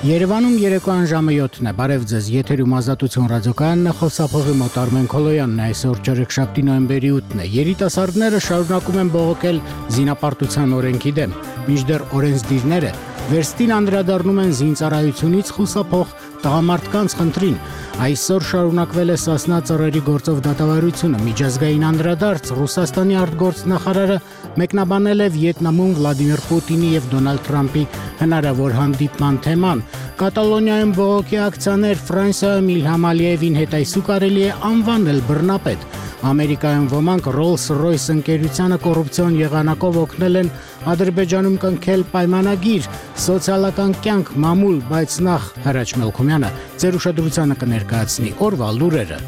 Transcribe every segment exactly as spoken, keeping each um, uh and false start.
Երևանում երեկոյան ժամը յոթն է, բարև ձեզ, եթերում Ազատություն ռադիոկայանն է, խոսափողի մոտ Արմեն Քոլոյանն է, այսօր չորեքշաբթի նոյեմբերի ութն է, երիտասարդները շարունակում են բողոքել զինապարտության օրենքի դեմ, մինչդեռ օրենսդիրները վերստին անդրադառնում են զինծառայությունից խուսափող տղամարդկանց խնդրին, այսօր շարունակվել է Սասնա ծռերի գործով դատավարությունը, միջազգային անդրադարձ Ռուսաստանի արտգործնախարարը մեկնաբանել է Վիետնամում Վլադիմիր Պուտինի եւ Դոնալդ Թրամփի հնարավոր հանդիպման թեման, Կատալոնիայում բողոքի ակցիաներ Ֆրանսիայում Իլհամ Ալիևին հետայսու կարելի է անվանել բռնապետ, Ամերիկայում ոմանք Rolls-Royce ընկերությանը կոռուպցիոն եղանակով օգնել են Ադրբեջանում կնքել պայմանագիր, սոցիալական կյանք մամուլ, բայց նախ Հրաչ Մելքումյանը ձեր ուշադրությանը կներկայացնի օրվա լուրերը։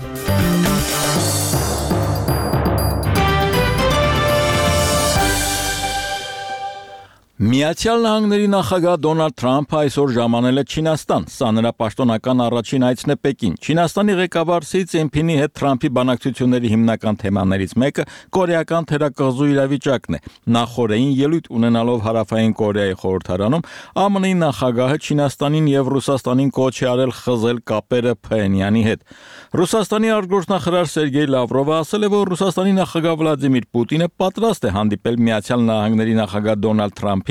Միացյալ Նահանգների նախագահ Դոնալդ Թրամփը այսօր ժամանել է Չինաստան, սա նրա պաշտոնական առաջին այցն է Պեկին։ Չինաստանի ղեկավար Սի Ցзինփինի հետ Թրամփի բանակցությունների հիմնական թեմաներից մեկը կորեական թերակղզու իրավիճակն է։ Նախորդային ելույթ ունենալով Հարավային Կորեայի խորհրդարանում Ամն Ի նախագահը Չինաստանին եւ Ռուսաստանին կոչ է արել խզել կապերը Փհենյանի հետ։ Ռուսաստանի արտգործնախարար Սերգեյ Լավրովը ասել է, որ Ռուսաստանի նախագահ Վլադիմիր Պուտինը պատրաստ է հանդիպել Միացյալ Նահանգների նախագահ Դոնալդ Թրամփին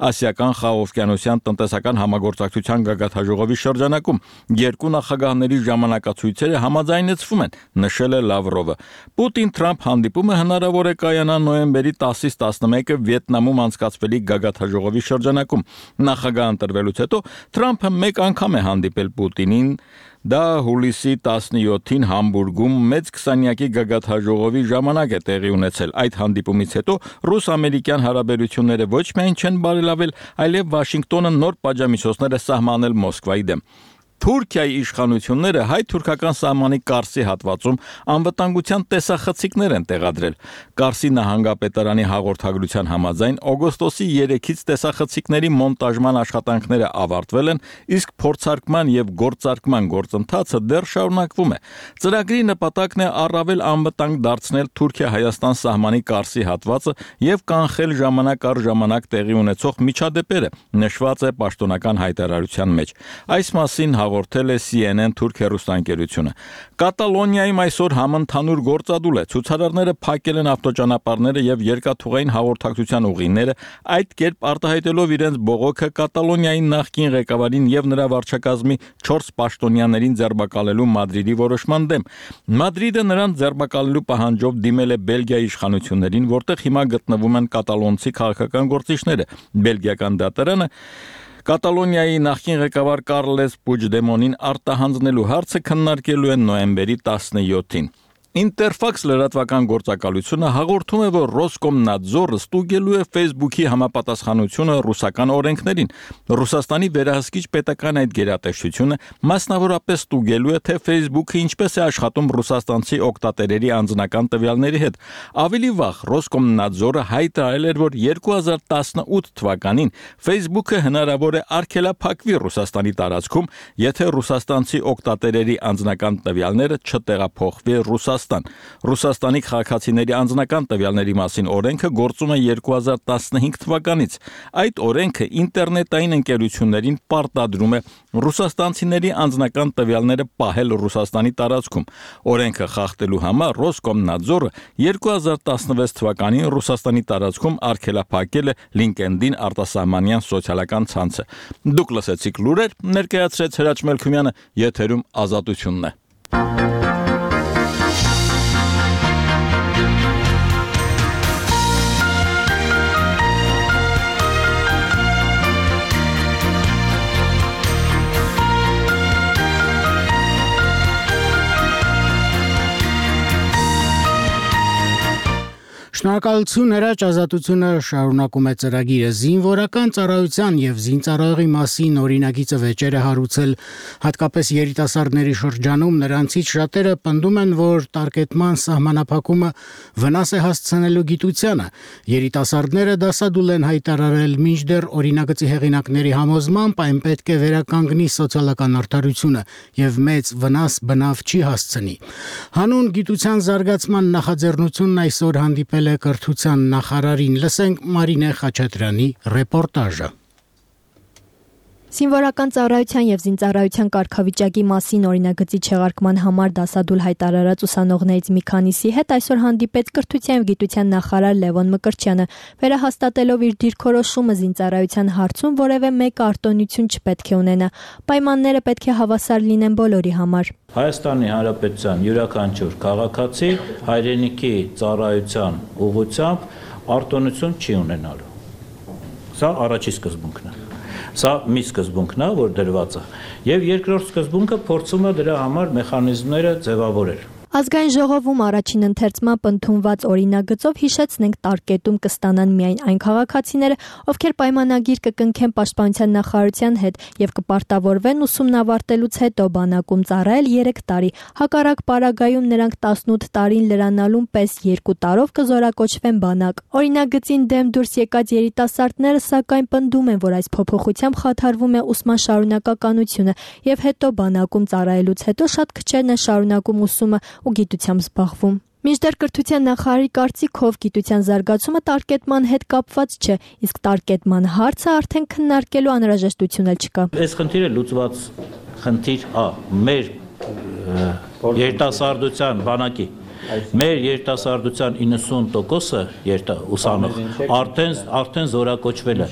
Ասիական խաղաղօվկիանոսյան տնտեսական համագործակցության գագաթնաժողովի շրջանակում երկու նախագահների ժամանակացույցերը համաձայնեցվում են, նշել է Լավրովը։ Պուտին-Թրամփ հանդիպումը հնարավոր է կայանա նոյեմբերի տասից տասնմեկը Վիետնամում անցկացվելիք գագաթնաժողովի շրջանակում։ Նախագահ ընտրվելուց հետո Թրամփը մեկ անգամ է հանդիպել Պուտինին, դա հուլիսի տասնյոթին Համբուրգում մեծ քսանյակի գագաթնաժողովի ժամանակ է տեղի ունեցել։ Այդ հանդիպումից հետո ռուս-ամերիկյան հարաբերությունները ոչ միայն չեն բարելավել, այլև Վաշինգտոնը նոր պատժամիջոցներ է սահմանել Մոսկվայի դեմ։ Թուրքիայի իշխանությունները հայ-թուրքական սահմանի Կարսի հատվածում անվտանգության տեսախցիկներ են տեղադրել։ Կարսի նահանգապետարանի հաղորդագրության համաձայն օգոստոսի երեքից տեսախցիկների մոնտաժման աշխատանքները ավարտվել են, իսկ փորձարկման եւ գործարկման գործընթացը դեռ շարունակվում է։ Ծրագրի նպատակն է առավել անվտանգ դարձնել Թուրքիա-Հայաստան սահմանի Կարսի հատվածը եւ կանխել ժամանակ առ ժամանակ տեղի ունեցող միջադեպերը, նշված է պաշտոնական հայտարարության մեջ։ Այս մասին հաղորդել է Սի Են Են թուրք հեռուստաընկերությունը։ Կատալոնիայում այսօր համընդհանուր գործադուլ է։ Ցուցարարները փակել են ավտոճանապարհները եւ երկաթուղային հաղորդակցության ուղիները, այդ կերպ արտահայտելով իրենց բողոքը Կատալոնիայի նախկին ղեկավարին եւ նրա վարչակազմի չորս պաշտոնյաներին ձերբակալելու Մադրիդի որոշման դեմ։ Մադրիդը նրան ձերբակալելու պահանջով դիմել է Բելգիայի իշխանություններին, որտեղ հիմա գտնվում են կատալոնցի քաղաքական գործիչները։ Բելգիական դատարանը Կատալոնիայի նախկին ղեկավար Կարլես Պուջդեմոնին արտահանձնելու հարցը քննարկելու են նոյեմբերի տասնյոթին։ Interfax լրատվական գործակալությունը հաղորդում է, որ Ռոսկոմնadzorը ստուգելու է Facebook-ի համապատասխանությունը ռուսական օրենքներին։ Ռուսաստանի վերահսկիչ պետական այդ գերատեսչությունը մասնավորապես ստուգելու է, թե Facebook-ը ինչպես է աշխատում ռուսաստանցի օգտատերերի անձնական տվյալների հետ։ Ավելի վաղ Ռոսկոմնadzorը հայտարարել էր, որ երկու հազար տասնութ թվականին Facebook-ը հնարավոր է արգելափակվի Ռուսաստանի տարածքում, եթե ռուսաստանցի օգտատերերի անձնական տվյալները չտեղափոխվի Ռուսաստան։ Ռուսաստանի քաղաքացիների անձնական տվյալների մասին օրենքը գործում է երկու հազար տասնհինգ թվականից։ Այդ օրենքը ինտերնետային ընկերություններին պարտադրում է ռուսաստանցիների անձնական տվյալները պահել Ռուսաստանի տարածքում։ Օրենքը խախտելու համար Ռոսկոմնadzorը երկու հազար տասնվեց թվականին Ռուսաստանի տարածքում արգելափակել է LinkedIn արտասահմանյան սոցիալական ցանցը։ Դուք լսեցիք լուրեր, ներկայացրեց Հրաչ Մելքումյանը, եթերում Ազատությունն է։ Շնորհակալություն, Հրաչ, Ազատությունը շարունակում է ծրագիրը զինվորական ծառայության եւ զինծառայողի մասին օրինագիծը վեճեր է հարուցել հատկապես երիտասարդների շրջանում, նրանցից շատերը պնդում են, որ տարկետման սահմանափակումը վնաս է հասցնելու գիտությանը։ Երիտասարդները դասադուլ են հայտարարել, մինչդեռ օրինագծի հեղինակների համոզմամբ այն պետք է վերականգնի սոցիալական արդարությունը եւ մեծ վնաս բնավ չի հասցնի։ Հանուն գիտության զարգացման նախաձեռնությունն այսօր հանդիպել է կրթության նախարարին, լսենք Մարինե Խաչատրյանի ռեպորտաժը։ Զինվորական ծառայության եւ զինծառայության կարգավիճակի մասին օրինագծի չեղարկման համար դասադուլ հայտարարած ուսանողներից մի քանիսի հետ այսօր հանդիպեց կրթության եւ գիտության նախարար Լևոն Մկրտչյանը, վերահաստատելով իր դիրքորոշումը զինծառայության հարցում որևէ մեկ արտոնություն չպետք է ունենա։ Պայմանները պետք է հավասար լինեն բոլորի համար։ Հայաստանի Հանրապետության յուրաքանչյուր քաղաքացի հայրենիքի ծառայության ուղղությամբ արտոնություն չի ունենալու։ Սա առաջի սկզբունքն է։ Սա մի սկզբունքն է, որ դրված է, եւ երկրորդ սկզբունքը փորձում է դրա համար մեխանիզմները ձևավորել։ Ազգային ժողովում առաջին ընթերցմամբ ընդունված օրինագծով հիշեցնենք տարկետում կստանան միայն այն քաղաքացիները, ովքեր պայմանագիր կկնքեն պաշտպանության նախարարության հետ եւ կպարտավորվեն ուսումն ավարտելուց հետո բանակում ծառայել երեք տարի։ Հակառակ պարագայում նրանք տասնութ տարին լրանալուն պես երկու տարով կզորակոչվեն բանակ։ Օրինագծին դեմ դուրս եկած երիտասարդները սակայն պնդում են, որ այս փոփոխությամբ խաթարվում է ուսման շարունակականությունը եւ հետո բանակում ծառայելուց հետո շատ քչերն են շարունակում ուսումը ու գիտությամբ զբաղվում։ Մինչդեռ կրթության նախարարի կարծիքով գիտության զարգացումը տարկետման հետ կապված չէ, իսկ տարկետման հարցը արդեն քննարկելու անհրաժեշտություն էլ չկա։ Այս խնդիրը լուծված խնդիր է մեր երիտասարդության բանակի։ Մեր երիտասարդության իննսուն տոկոսը ուսանող արդեն արդեն զորակոչվել է։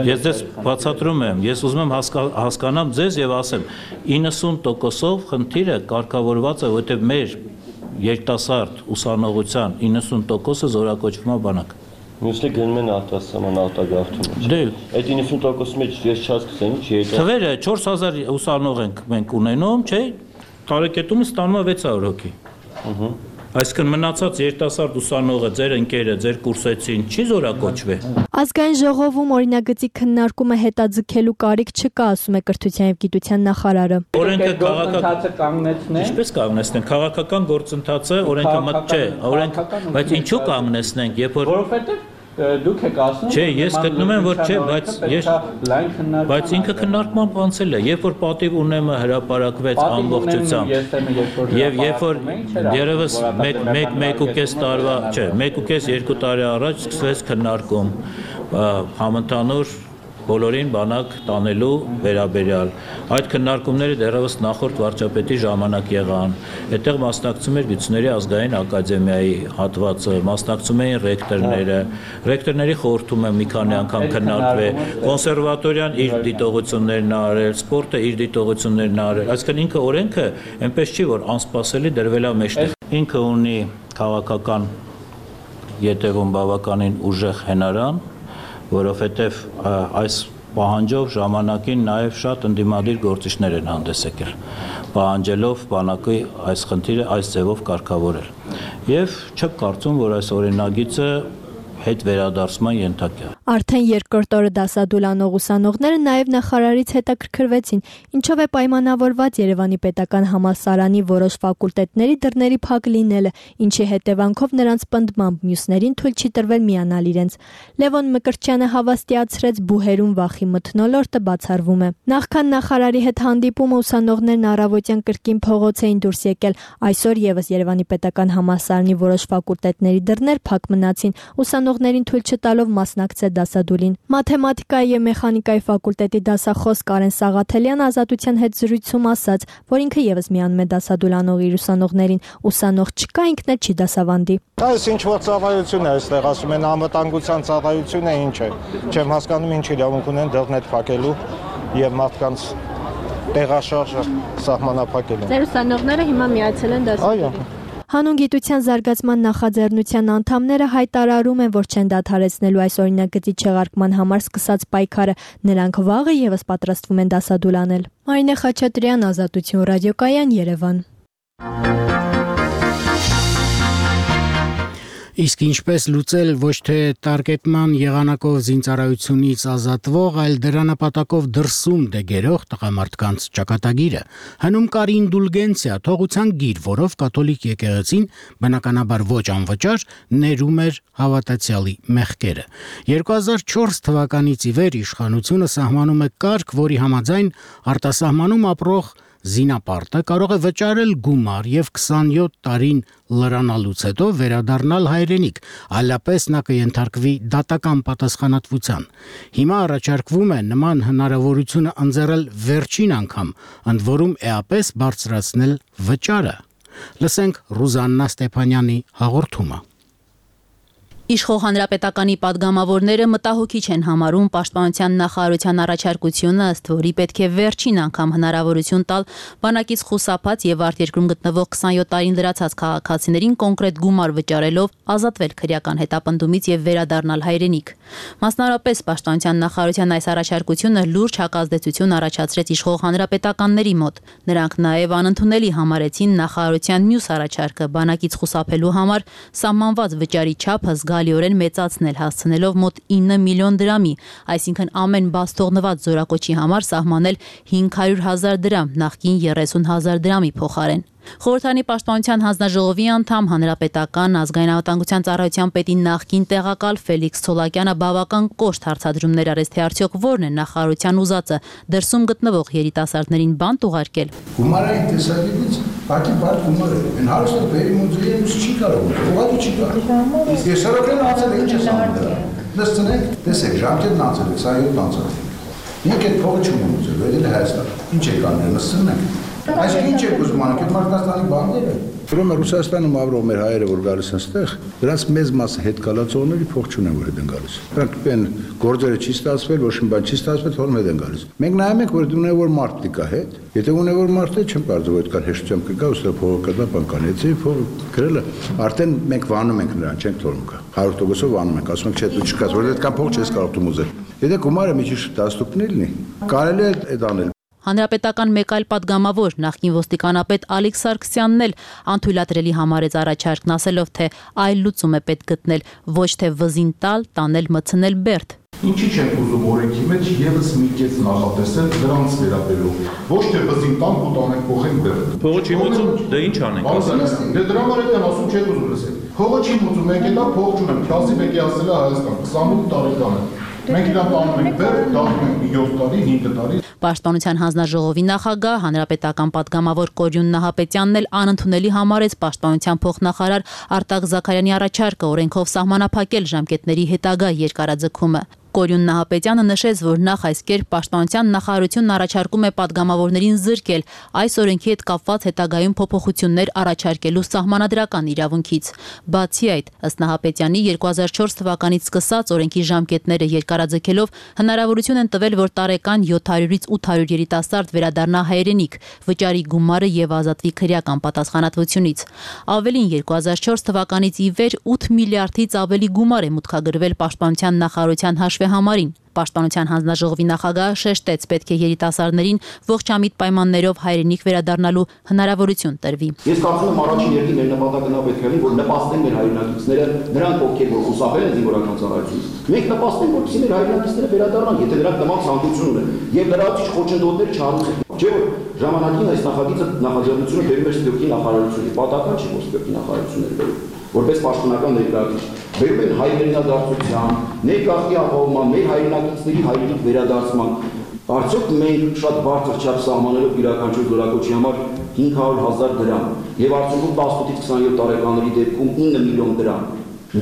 Ես ձեզ բացատրում եմ, ես ուզում եմ հասկանամ ձեզ եւ ասեմ, իննսուն տոկոսով խնդիրը կարգավորված է, որովհետեւ մեր երիտասարդ ուսանողության իննսուն տոկոսը զորակոչվում է բանակ։ Մյուսը գնում են արտասահման արտագաղթում։ Դե այդ իննսուն տոկոսի մեջ ես չհասկացա, ինչ է։ Թվերը չորս հազար ուսանող ենք մենք ունենում, չէ՞։ Տարեկետումը ստանում է վեց հարյուր հոգի։ Ահա Այսինքն մնացած երիտասարդ ուսանողը, ձեր ընկերը, ձեր կուրսեցին չի զորակոչվի։ Ազգային ժողովում օրինագծի քննարկումը հետաձգելու կարիք չկա, ասում է կրթության եւ գիտության նախարարը։ Օրենքը քաղաքական կանգնեցնեն։ Ինչպես կանգնեցնեն։ Քաղաքական գործընթացը օրենքը մտ չէ, օրենք, բայց ինչու կանգնեցնենք, երբ որ Որովհետեւ դուք եք ասում Չէ, ես գտնում եմ, որ չէ, բայց ես բայց ինքը քննարկման անցել է, երբ որ պատիվ ունեմը հրապարակվեց ամբողջությամբ։ Եվ երբ որ երևս մեկ ու կես տարվա, չէ, մեկ ու կես երկու տարի առաջ սկսվեց քննարկում համընդհանուր բոլորին բանակ տանելու վերաբերյալ։ Այդ քննարկումները դեռևս նախորդ վարչապետի ժամանակ եղան։ Այդտեղ մասնակցում էր Գիտությունների ազգային ակադեմիայի հատվածը, մասնակցում էին ռեկտորները։ Ռեկտորների խորհրդումը մի քանի անգամ քննարկվել, կոնսերվատորիան իր դիտողություններն արել, սպորտը իր դիտողություններն արել։ Այսինքն ինքը օրենքը այնպես չի, որ անսպասելի դրվել է մեջտեղ։ Ինքը ունի քաղաքական յետևում բավականին ուժեղ հենարան, որովհետև այս պահանջով ժամանակին նաև շատ ընդդիմադիր գործիչներ են հանդես եկել, պահանջելով բանակի այս խնդիրը այս ձևով կարգավորել։ Եվ չեմ կարծում, որ այս օրինագիծը հետ վերադարձման ենթակա։ Արդեն երկրորդ օրը դասադուլ անող ուսանողները նաև նախարարից հետաքրքրվեցին, ինչով է պայմանավորված Երևանի պետական համալսարանի որոշ ֆակուլտետների դռների փակ լինելը, ինչի հետևանքով նրանց պնդմամբ մյուսներին թույլ չի տրվել միանալ իրենց։ Լևոն Մկրտչյանը հավաստիացրեց բուհերում վախի մթնոլորտը բացառվում է։ Նախքան նախարարի հետ հանդիպումը ուսանողներն առավոտյան կրկին փողոց էին դուրս եկել, այսօր եւս Երևանի պետական համալսարանի որոշ ֆակուլտետների դռներ փակ մնացին, ուսանողներին թույլ չտալով մասնակցել դասադուլին։ Մաթեմատիկայի եւ մեխանիկայի ֆակուլտետի դասախոս Կարեն Սաղաթելյան Ազատության հետ զրույցում ասաց, որ ինքը եւս միանում է դասադուլ անող իր ուսանողներին, ուսանող չկա, ինքն էլ չի դասավանդի։ Այս ինչ որ ծառայություն է այստեղ, ասում են անվտանգության ծառայություն է, ինչ է։ Չեմ հասկանում ինչ իրավունք ունեն դռներ փակելու եւ մարդկանց տեղաշարժը սահմանափակելու։ Ձեր ուսանողները հիմա միացել են դասադուլին։ Այո։ Հանուն գիտության զարգացման նախաձեռնության անդամները հայտարարում են, որ չեն դադարեցնելու այս օրինագծի չեղարկման համար սկսած պայքարը, նրանք վաղը եւս պատրաստվում են դասադուլ անել։ Մարինե Խաչատրյան, Ազատություն ռադիոկայան, Երևան։ Իսկ ինչպես լուծել ոչ թե տարկետման եղանակով զինծառայությունից ազատվող, այլ դրա նպատակով դրսում դեգերող տղամարդկանց ճակատագիրը։ Հնում կար ինդուլգենցիա, թողության գիր, որով կաթոլիկ եկեղեցին բնականաբար ոչ անվճար ներում էր հավատացյալի մեղքերը։ երկու հազար չորս թվականից ի վեր իշխանությունը սահմանում է կարգ, որի համաձայն արտասահմանում ապրող զինապարտը կարող է վճարել գումար եւ քսանյոթ տարին լրանալուց հետո վերադառնալ հայրենիք, այլապես նա կենթարկվի դատական պատասխանատվության։ Հիմա առաջարկվում է նման հնարավորությունը ընձեռել վերջին անգամ, ընդ որում էապես բարձրացնել վճարը։ Լսենք Ռուզաննա Ստեփանյանի հաղորդումը։ Իշխող հանրապետականի падգամավորները մտահոգիչ են համարում Պաշտպանության նախարարության առաջարկությունը, ըստ որի պետք է վերջին անգամ հնարավորություն տալ բանակից խուսափած եւ արտերկրում գտնվող քսանյոթ տարին լրացած քաղաքացիներին կոնկրետ գումար վճարելով ազատվել քրեական հետապնդումից եւ վերադառնալ հայրենիք։ Մասնավորապես Պաշտպանության նախարարության այս առաջարկությունը լուրջ հակազդեցություն առաջացրեց իշխող հանրապետականների մոտ։ Նրանք նաեւ անընդունելի համարեցին նախարարության մյուս առաջարկը բանակից խուսափելու համար սահմանված վճարի չափը զգալիորեն մեծացնել, հասցնելով մոտ ինը միլիոն դրամի, այսինքն ամեն բաց թողնված զորակոչի համար սահմանել հինգ հարյուր հազար դրամ, նախկին երեսուն հազար դրամի փոխարեն։ Խորհրդանի Պաշտպանության հանձնաժողովի անդամ հանրապետական ազգային անվտանգության ծառայության պետի նախկին տեղակալ Ֆելիքս Ցոլակյանը բավական կոշտ հարցադրումներ արեց, թե արդյոք որն է նախարարության ուզածը դրսում գտնվող երիտասարդներին բանտ ուղարկել։ Գումարային տեսակետից բակի բար գումար է։ Այն հարցը բերի մոդելից չի կարող, ուղղակի չի կարող։ Իսկ ես շարքեն անցել ինչ է սահմանը։ Լսցնեք, տեսեք, ժամկետն անցել է, քսանյոթ անցել։ Ինք այդ փողը չունեմ ուզել, վերել Հայաստան։ Ինչ է կանել, լսցնեք։ Այսինքն ինչ է ուզում անում, այդ Մարտաստանի բանները։ Ուրեմն Ռուսաստանում ապրող մեր հայերը, որ գալիս են այստեղ, դրանց մեծ մասը հետ կալացողների փող չունեն, որ հետ են գալիս։ Նրանք են գործերը չի ստացվել, ոչ մի բան չի ստացվել, թողնում հետ են գալիս։ Մենք նայում ենք, որ ունե որ մարդ կա հետ, եթե ունե որ մարդ է, չեմ կարծում որ այդքան հեշտությամբ կգա, ուստի փողը կդա բան կանի, եթե փողը գրելը, արդեն մենք վանում ենք նրան, չենք թողնում կա։ հարյուր տոկոսով վանում ենք, ասում ենք չէ, դու չկաս, որ այդքան փող չես կարող դու ուզել։ Եթե գումարը մի քիչ տասնուկն լինի, կարելի է այդ անել։ Հանրապետական մեկ այլ падգամավոր նախկին ոստիկանապետ Ալիք Սարգսյանն էլ անթույլատրելի համարեց առաջարկն, ասելով, թե այլ լուծում է պետք գտնել, ոչ թե վզին տալ, տանել, մտցնել բերդ։ Ինչի չենք ուզում օրենքի մեջ եւս մի կես նախատեսել դրանց վերաբերող։ Ոչ թե վզին տանք ու տանենք փոխենք բերդ։ Փողը չի մուծում, դե ինչ անենք։ Դե դրա համար էլ ասում չեք ուզում լսել։ Փողը չի մուծում, մենք էլ փող չունենք, քյասի մեկի ասել է Հայաստան, քսանութ տարեկան է։ Մենք իրան տանում ենք բերդ, դառնում ենք յոթ տարի, հինգ տարի։ Պաշտպանության հանձնաժողովի նախագահ հանրապետական падգամավոր Կորյուն Նահապետյանն էլ անընդունելի համարեց Պաշտպանության փոխնախարար Արտակ Զաքարյանի առաջարկը օրենքով սահմանափակել ժամկետների հետագա երկարաձգումը։ Կորյուն Նահապետյանը նշեց, որ նախ այս կերպ Պաշտպանության նախարարությունն առաջարկում է падգամավորներին զրկել այս օրենքի հետ կապված հետագայում փոփոխություններ առաջարկելու սահմանադրական իրավունքից։ Բացի այդ, ըստ Նահապետյանի երկու հազար չորս թվականից սկսած օրենքի ժամկետները երկարաձգելով հնարավորություն են տվել, որ տարեկան յոթ հարյուրից ութ հարյուր երիտասարդ վերադառնա հայրենիք, վճարի գումարը եւ ազատվի քրեական պատասխանատվությունից։ Ավելին երկու հազար չորս թվականից ի վեր ութ միլիարդից ավելի գումար է մուտքագրվել Պաշտպանության նախարարության համարին։ Պաշտպանության հանձնաժողովի նախագահը շեշտեց, պետք է երիտասարդներին ողջամիտ պայմաններով հայրենիք վերադառնալու հնարավորություն տրվի։ Ես կարծում եմ առաջին երկին մեր նպատակը պետք է լինի, որ նպաստեն մեր հայրենակիցները, նրանք ովքեր որ խուսափել են զինվորական ծառայությունից։ Մենք նպաստենք, որպեսզի մեր հայրենակիցները վերադառնան, եթե նրանք նման ցանկություն ունեն, եւ լրացուցիչ խոչընդոտներ չառնեն։ Չէ՞ որ ժամանակին այս նախագիծը նախաձեռնությունը բերում էր Սփյուռքի նախարարությունից, պատահական չի որ Սփյուռքի նախարարությունները բերում։ Որպես պաշտոնական ներկայացուցիչ բերում են հայրենադարձության, ներգաղթի ապահովման, մեր հայրենակիցների հայրենիք վերադարձման։ Արդյոք մենք շատ բարձր չափ սահմանելով յուրաքանչյուր զորակոչի համար հինգ հարյուր հազար դրամ եւ արդյունքում տասնութից քսանյոթ տարեկանների դեպքում ինը միլիոն դրամ։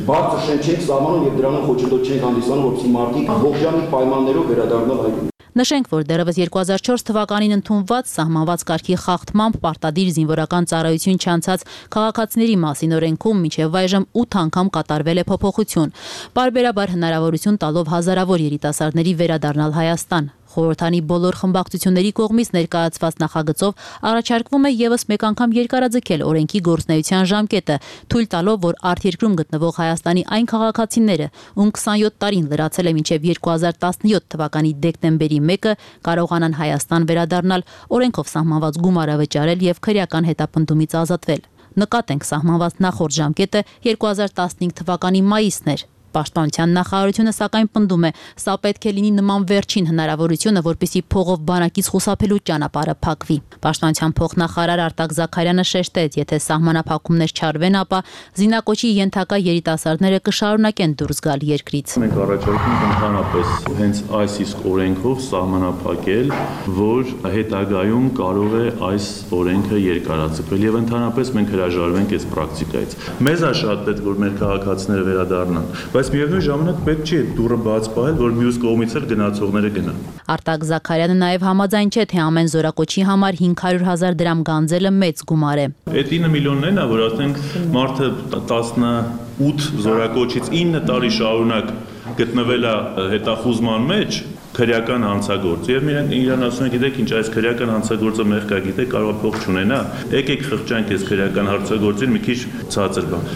Բարձր շեն չենք սահմանում եւ դրանով խոչընդոտ չենք հանդիսանում, որպեսզի մարդիկ ողջամիտ պայմաններով վերադառնան հայրենիք։ Նշենք, որ դեռևս երկու հազար չորս թվականին ընդունված սահմանված կարգի խախտմամբ պարտադիր զինվորական ծառայություն չանցած քաղաքացիների մասին օրենքում մինչև այժմ ութ անգամ կատարվել է փոփոխություն, պարբերաբար հնարավորություն տալով հազարավոր երիտասարդների վերադառնալ Հայաստան։ Խորհրդանի բոլոր խմբակցությունների կողմից ներկայացված նախագծով առաջարկվում է եւս մեկ անգամ երկարաձգել օրենքի գործունեության ժամկետը, թույլ տալով, որ արտերկրում գտնվող Հայաստանի այն քաղաքացիները, ում քսանյոթ տարին լրացել է մինչև երկու հազար տասնյոթ թվականի դեկտեմբերի մեկը, կարողանան Հայաստան վերադառնալ, օրենքով սահմանված գումարը վճարել եւ քրեական հետապնդումից ազատվել։ Նկատենք, սահմանված նախորդ ժամկետը երկու հազար տասնհինգ թվականի մայիսն էր։ Պաշտպանության նախարարությունը սակայն պնդում է, սա պետք է լինի նման վերջին հնարավորությունը, որպեսզի փողով բանակից խուսափելու ճանապարհը փակվի։ Պաշտպանության փոխնախարար Արտակ Զաքարյանը շեշտեց, եթե սահմանափակումներ չարվեն, ապա զինակոչի ենթակա երիտասարդները կշարունակեն դուրս գալ երկրից։ Մենք առաջարկում ենք ընդհանրապես հենց այս իսկ օրենքով սահմանափակել, որ հետագայում կարող է այս օրենքը երկարաձգվել եւ ընդհանրապես մենք հրաժարվենք այս պրակտիկայից։ Մեզ է շատ պետք, որ մեր քաղաքացիները վերադառնան, բայց միևնույն ժամանակ պետք չի դուռը բաց պահել, որ մյուս կողմից էլ գնացողները գնան։ Արտակ Զաքարյանը նաև համաձայն չէ, թե ամեն զորակոչի համար հինգ հարյուր հազար դրամ գանձելը մեծ գումար է։ Այդ ինը միլիոններն է, որ ասենք մարդը տասնութ զորակոչից ինը տարի շարունակ գտնվել է հետախուզման մեջ, քրեական հանցագործ, եւ իրան ասում են, գիտեք ինչ, այս քրեական հանցագործը մեղք է, գիտեք, կարող է փող չունենա, եկեք խղճանք այս քրեական հանցագործին մի քիչ ցածր բան։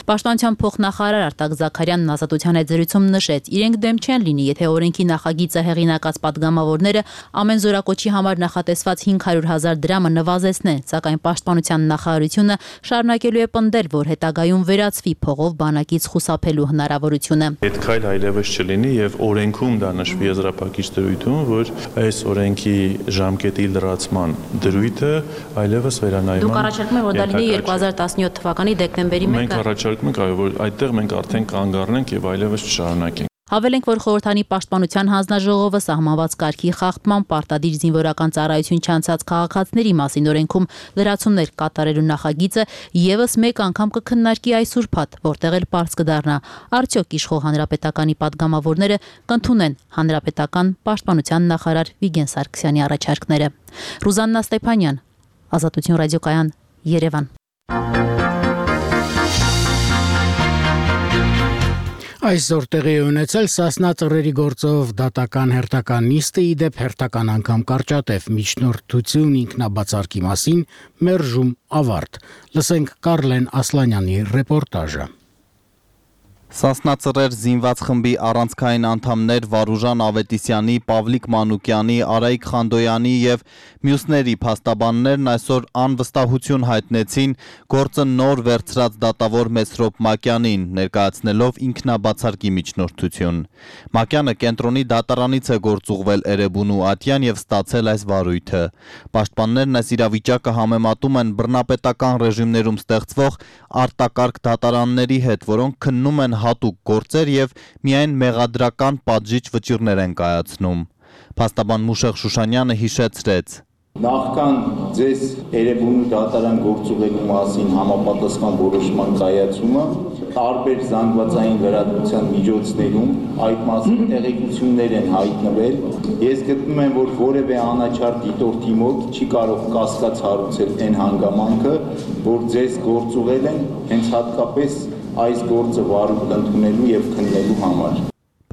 Պաշտպանության փոխնախարար Արտակ Զաքարյանն Ազատության հետ զրույցում նշեց, իրենք դեմ չեն լինի, եթե օրենքի նախագիծը հեղինակած падգամավորները ամեն զորակոչի համար նախատեսված հինգ հարյուր հազար դրամը նվազեցնեն, սակայն Պաշտպանության նախարարությունը շարունակելու է պնդել, որ հետագայում վերացվի փողով բանակից խուսափելու հնարավորությունը։ Այդ քայլ այլևս չլինի եւ օրենքում դա նշվի եզրափակիչ դրույթում, որ այս օրենքի ժամկետի լրացման դրույթը այլևս վերանայման։ Դուք առաջարկում եք, որ դա լինի երկու հազար տասնյոթ թվականի դեկտեմբերի մեկը։ Մենք այո, որ այդտեղ մենք արդեն կանգ առնենք եւ այլևս չշարունակենք։ Հավելենք, որ խորհրդանի պաշտպանության հանձնաժողովը սահմանված կարգի խախտման պարտադիր զինվորական ծառայություն չանցած քաղաքացիների մասին օրենքում լրացումներ կատարելու նախագիծը եւս մեկ անգամ կքննարկի այս ուրբաթ, որտեղ էլ պարզ կդառնա, արդյոք իշխող հանրապետականի падգամավորները կընդունեն հանրապետական պաշտպանության նախարար Վիգեն Սարգսյանի առաջարկները։ Ռուզաննա Ստեփանյան, Ազատություն ռադիոկայան, Երևան։ Այսօր տեղի է ունեցել Սասնա ծռերի գործով դատական հերթական նիստը, ի դեպ հերթական անգամ կարճատև միջնորդություն ինքնաբացարկի մասին մերժում ավարտ։ Լսենք Կարլեն Ասլանյանի ռեպորտաժը։ Սասնա ծռեր զինված խմբի առանցքային անդամներ Վարուժան Ավետիսյանի, Պավլիկ Մանուկյանի, Արայիկ Խանդոյանի եւ մյուսների փաստաբաններն այսօր անվստահություն հայտնեցին գործը նոր վերցրած դատավոր Մեսրոպ Մակյանին, ներկայացնելով ինքնաբացարկի միջնորդություն։ Մակյանը կենտրոնի դատարանից է գործուղվել Էրեբունու ատյան եւ ստացել այս վարույթը։ Պաշտպաններն այս իրավիճակը համեմատում են բռնապետական ռեժիմներում ստեղծվող արտակարգ դատարանների հետ, որոնք քննում են հատուկ գործեր եւ միայն մեղադրական պատժիչ վճիռներ են կայացնում։ Փաստաբան Մուշեղ Շուշանյանը հիշեցրեց. Նախքան ձեզ Էրեբունու դատարան գործուղելու մասին համապատասխան որոշման կայացումը տարբեր զանգվածային լրատվության միջոցներում այդ մասին տեղեկություններ են հայտնվել։ Ես գտնում եմ, որ որևէ անաչառ դիտորդի մոտ չի կարող կասկած հարուցել այն հանգամանքը, որ ձեզ գործուղել են հենց հատկապես այս գործը վարույթ ընդունելու եւ քննելու համար։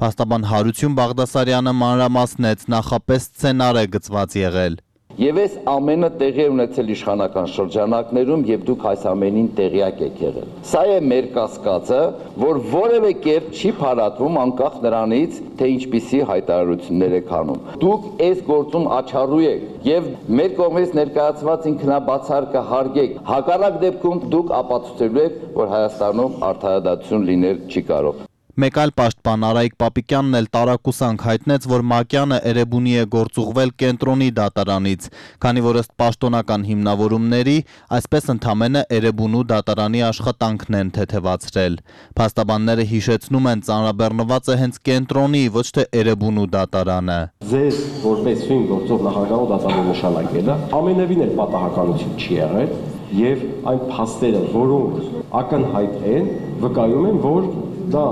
Փաստաբան Հարություն Բաղդասարյանը մանրամասնեց, նախապես սցենար է գծված եղել։ Եվ այս ամենը տեղի է ունեցել իշխանական շրջանակներում եւ դուք այս ամենին տեղյակ եք եղել։ Սա է մեր կասկածը, որ որևէ կերպ չի փարատվում անկախ նրանից, թե ինչպիսի հայտարարություններ եք անում։ Դուք այս գործում աչառու եք եւ մեր կողմից ներկայացված ինքնաբացարկը հարգեք։ Հակառակ դեպքում դուք ապացուցելու եք, որ Հայաստանում արդարադատություն լինել չի կարող։ Մեկ այլ պաշտպան Արայիկ Պապիկյանն էլ տարակուսանք հայտնեց, որ Մակյանը Էրեբունի է գործուղվել կենտրոնի դատարանից, քանի որ ըստ պաշտոնական հիմնավորումների, այսպես ընդամենը Էրեբունու դատարանի աշխատանքն են թեթևացրել։ Փաստաբանները հիշեցնում են, ծանրաբեռնված է հենց կենտրոնի, ոչ թե Էրեբունու դատարանը։ Ձեզ որպես ֆին գործող նախագահ դատարան նշանակելը ամենևին էլ պատահականություն չի եղել, եւ այն փաստերը, որոնք ակնհայտ են, վկայում են, որ դա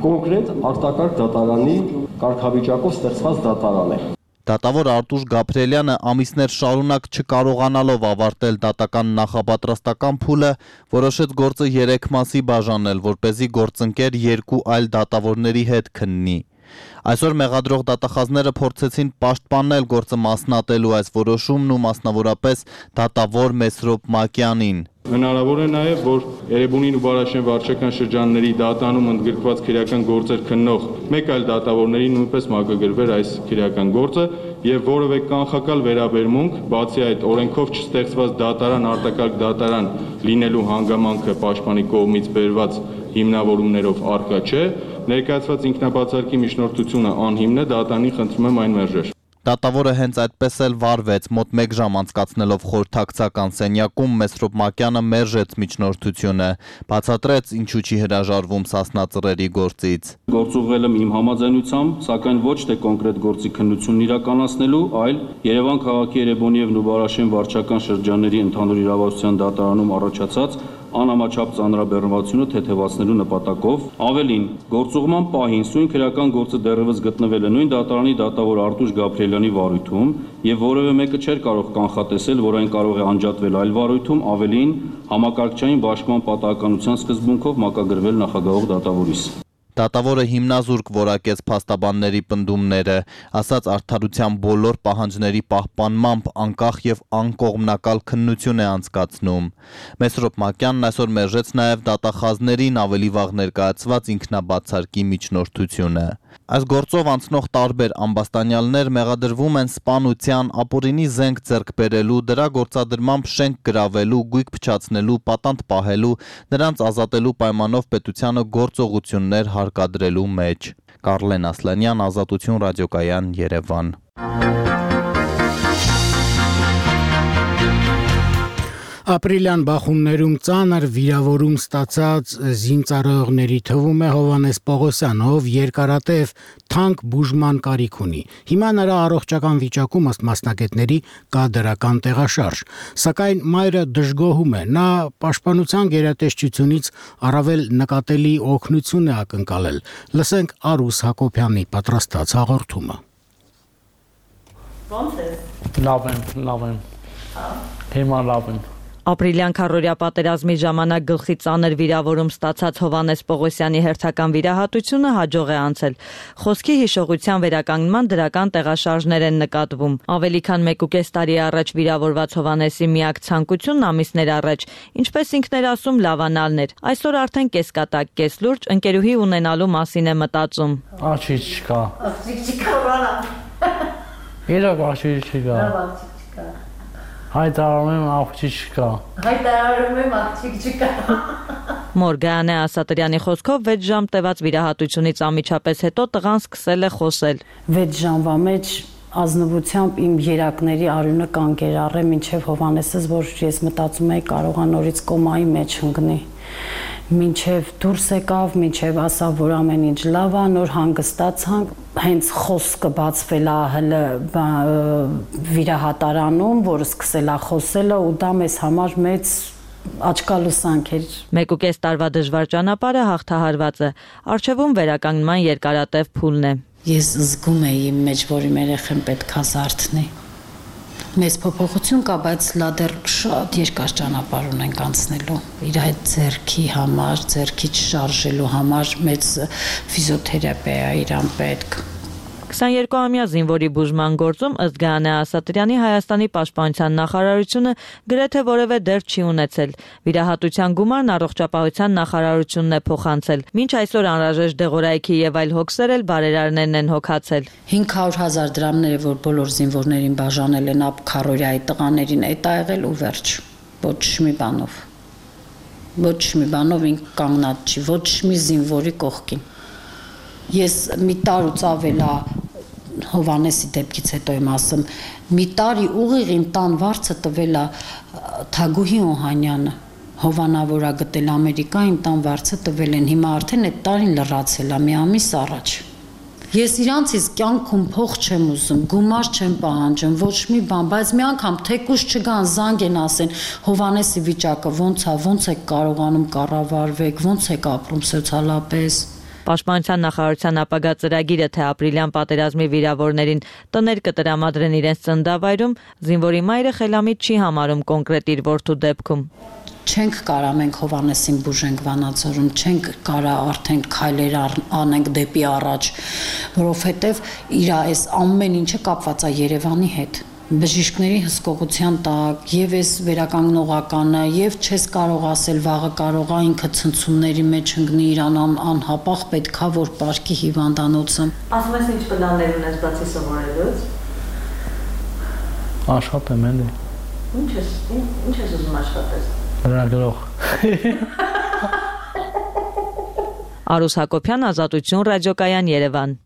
կոնկրետ արտակարգ դատարանի կարգավիճակով ստեղծված դատարան է։ Դատավոր Արտուշ Գաբրելյանը ամիսներ շարունակ չկարողանալով ավարտել դատական նախապատրաստական փուլը, որոշեց գործը երեք մասի բաժանել, որպեսզի գործընկեր երկու այլ դատավորների հետ քննի։ Այսօր մեղադրող դատախազները փորձեցին պաշտպանել գործը մասնատելու այս որոշումն ու մասնավորապես դատավոր Մեսրոպ Մակյանին։ Հնարավոր է նաև, որ Էրեբունին ու Բարաշեն վարչական շրջանների դատարանում ընդգրկված քրեական գործեր քննող մեկ այլ դատավորների նույնպես մակագրվեր այս քրեական գործը եւ որևէ կանխակալ վերաբերմունք, բացի այդ օրենքով չստեղծված դատարան արտակարգ դատարան լինելու հանգամանքը պաշտպանի կողմից բերված հիմնավորումներով առկա չէ, ներկայացված ինքնաբացարկի միջնորդությունը անհիմն է, դատարանին խնդրում եմ այն մերժել։ Դատավորը հենց այդպես էլ վարվեց, մոտ մեկ ժամ անցկացնելով խորհրդակցական սենյակում Մեսրոպ Մակյանը մերժեց միջնորդությունը, բացատրեց ինչու չի հրաժարվում Սասնա Ծռերի գործից։ Գործուղվել եմ իմ համաձայնությամբ, սակայն ոչ թե կոնկրետ գործի քննությունն իրականացնելու, այլ Երևան քաղաքի Երևանի եւ Նուբարաշեն վարչական շրջանների ընդհանուր իրավասության դատարանում առաջացած անհամաչափ ծանրաբեռնվածությունը թեթևացնելու նպատակով, ավելին, գործուղման պահին սույն քրեական գործը դեռևս գտնվել է նույն դատարանի դատավոր Արտուշ Գաբրիելյանի վարույթում եւ որևէ մեկը չէր կարող կանխատեսել, որ այն կարող է անջատվել այլ վարույթում, ավելին, համակարգչային բաշխման պատահականության սկզբունքով մակագրվել նախագահող դատավորիս։ Դատավորը հիմնազուրկ որակեց փաստաբանների պնդումները, ասաց արդարության բոլոր պահանջների պահպանմամբ անկախ եւ անկողմնակալ քննություն է անցկացնում։ Մեսրոպ Մակյանն այսօր մերժեց նաեւ դատախազներին ավելի վաղ ներկայացված ինքնաբացարկի միջնորդությունը։ Այս գործով անցնող տարբեր ամբաստանյալներ մեղադրվում են սպանության, ապօրինի զենք ձեռք բերելու, դրա գործադրմամբ շենք գրավելու, գույք փչացնելու, պատանդ պահելու, նրանց ազատելու պայմանով պետությանը գործողություններ հարկադրելու մեջ։ Կարլեն Ասլանյան, Ազատություն ռադիոկայան, Երևան։ Ապրիլյան բախումներում ծանր վիրավորում ստացած զինծառայողների թվում է Հովհաննես Պողոսյանը, ով երկարատև թանկ բուժման կարիք ունի։ Հիմա նրա առողջական վիճակում ըստ մասնագետների կա դրական տեղաշարժ, սակայն մայրը դժգոհում է։ Նա պաշտպանության գերատեսչությունից առավել նկատելի օգնություն է ակնկալել։ Լսենք Արուս Հակոբյանի պատրաստած հաղորդումը։ Ո՞նց է։ Լավ եմ, լավ եմ։ Հիմա լավ եմ։ Ապրիլյան քառորյա պատերազմի ժամանակ գլխի ծանր վիրավորում ստացած Հովհաննես Պողոսյանի հերթական վիրահատությունը հաջող է անցել։ Խոսքի հիշողության վերականգնման դրական տեղաշարժներ են նկատվում։ Ավելի քան մեկուկես տարի առաջ վիրավորված Հովհաննեսի միակ ցանկությունն ամիսներ առաջ, ինչպես ինքն էր ասում, լավանալն էր։ Այսօր արդեն կեսկատակ, կես լուրջ ընկերուհի ունենալու մասին է մտածում։ Աղջիկ չկա։ Աղջիկ չկա, բանա։ Իրոք աղջիկ չկա։ Հայտարարում եմ աղջիկ չկա։ Հայտարարում եմ աղջիկ չկա։ Մոր Գայանե Ասատրյանի խոսքով վեց ժամ տևած վիրահատությունից անմիջապես հետո տղան սկսել է խոսել։ վեց ժամվա մեջ ազնվությամբ իմ երակների արյունը կանգեր առե մինչև Հովհաննեսս, որ ես մտածում էի կարողա նորից կոմայի մեջ ընկնի։ Մինչև դուրս եկավ, մինչև ասավ, որ ամեն ինչ լավ է, նոր հանգստացանք, հենց խոսքը բացվել է հələ վիրահատարանում, որ սկսել է խոսելը ու դա մեզ համար մեծ աչքալուսանք էր։ Մեկուկես տարվա դժվար ճանապարհը հաղթահարված է, առջևում վերականգնման երկարատև փուլն է։ Ես զգում էի իմ մեջ, որ իմ երեխան պետք է զարթնի։ Մեծ փոփոխություն կա, բայց լա դեռ շատ երկար ճանապարհ ունենք անցնելու։ Իր այդ ձեռքի համար, ձեռքի չշարժելու համար մեծ ֆիզիոթերապիա իրան պետք։ քսաներկուամյա զինվորի բուժման գործում ըստ Գայանե Ասատրյանի Հայաստանի պաշտպանության նախարարությունը գրեթե որևէ դեր չի ունեցել։ Վիրահատության գումարն առողջապահության նախարարությունն է փոխանցել։ Մինչ այսօր անհրաժեշտ դեղորայքի եւ այլ հոգսեր էլ բարերարներն են հոգացել։ հինգ հարյուր հազար դրամները, որ բոլոր զինվորներին բաժանել են ապ քառորյայի տղաներին, այդ ա եղել ու վերջ։ Ոչ մի բանով։ Ոչ մի բանով ինք կանգնած չի, ոչ մի զինվորի կողքին։ Ես մի տարուց ավելա Հովհաննեսի դեպքից հետո եմ ասում, մի տարի ուղիղ իմ տան վարձը տվել է Թագուհի Օհանյանը, Հովանավորա գտել Ամերիկա, իմ տան վարձը տվել են, հիմա արդեն այդ տարին լրացել է, մի ամիս առաջ։ Ես իրանցից կյանքում փող չեմ ուզում, գումար չեմ պահանջում, ոչ մի բան, բայց մի անգամ թեկուզ չգան, զանգ են ասեն, Հովհաննեսի վիճակը ոնց է, ոնց եք կարողանում կառավարվեք, ոնց եք ապրում սոցիալապես։ Պաշտպանության նախարարության ապագա ծրագիրը, թե ապրիլյան պատերազմի վիրավորներին տներ կտրամադրեն իրենց ծննդավայրում, զինվորի մայրը խելամիտ չի համարում կոնկրետ իր որդու դեպքում։ Չենք կարա մենք Հովհաննեսին բուժենք Վանաձորում, չենք կարա արդեն քայլեր անենք դեպի առաջ, որովհետև իր այս ամեն ինչը կապված է Երևանի հետ։ Բժիշկների հսկողության տակ, եւ այս վերականգնողականը, եւ չես կարող ասել վաղը կարողա ինքը ցնցումների մեջ ընկնի, իրան անհապաղ պետքա որ պարկի հիվանդանոցը։ Ասում ես ինչ պլաններ ունես բացի սովորելուց։ Աշխատեմ էլի։ Ինչ ես, ինչ ես ուզում աշխատես։ Լրագրող։ Արուս Հակոբյան, Ազատություն, Ռադիոկայան, Երևան։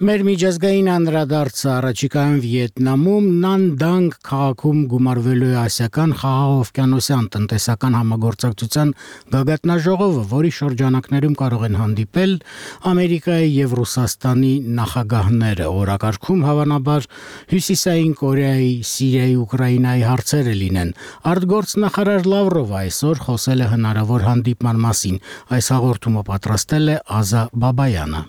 Մեր միջազգային անդրադարձը առաջիկայում Վիետնամում Նանդանգ քաղաքում գումարվելու է ասիական խաղաղօվկիանոսյան տնտեսական համագործակցության գագաթնաժողովը, որի շրջանակներում կարող են հանդիպել Ամերիկայի եւ Ռուսաստանի նախագահները։ Օրակարգում հավանաբար Հյուսիսային Կորեայի, Սիրիայի, Ուկրաինայի հարցերը լինեն։ Արտգործնախարար Լավրովը այսօր խոսել է հնարավոր հանդիպման մասին։ Այս հաղորդումը պատրաստել է Ազա Բաբայանը։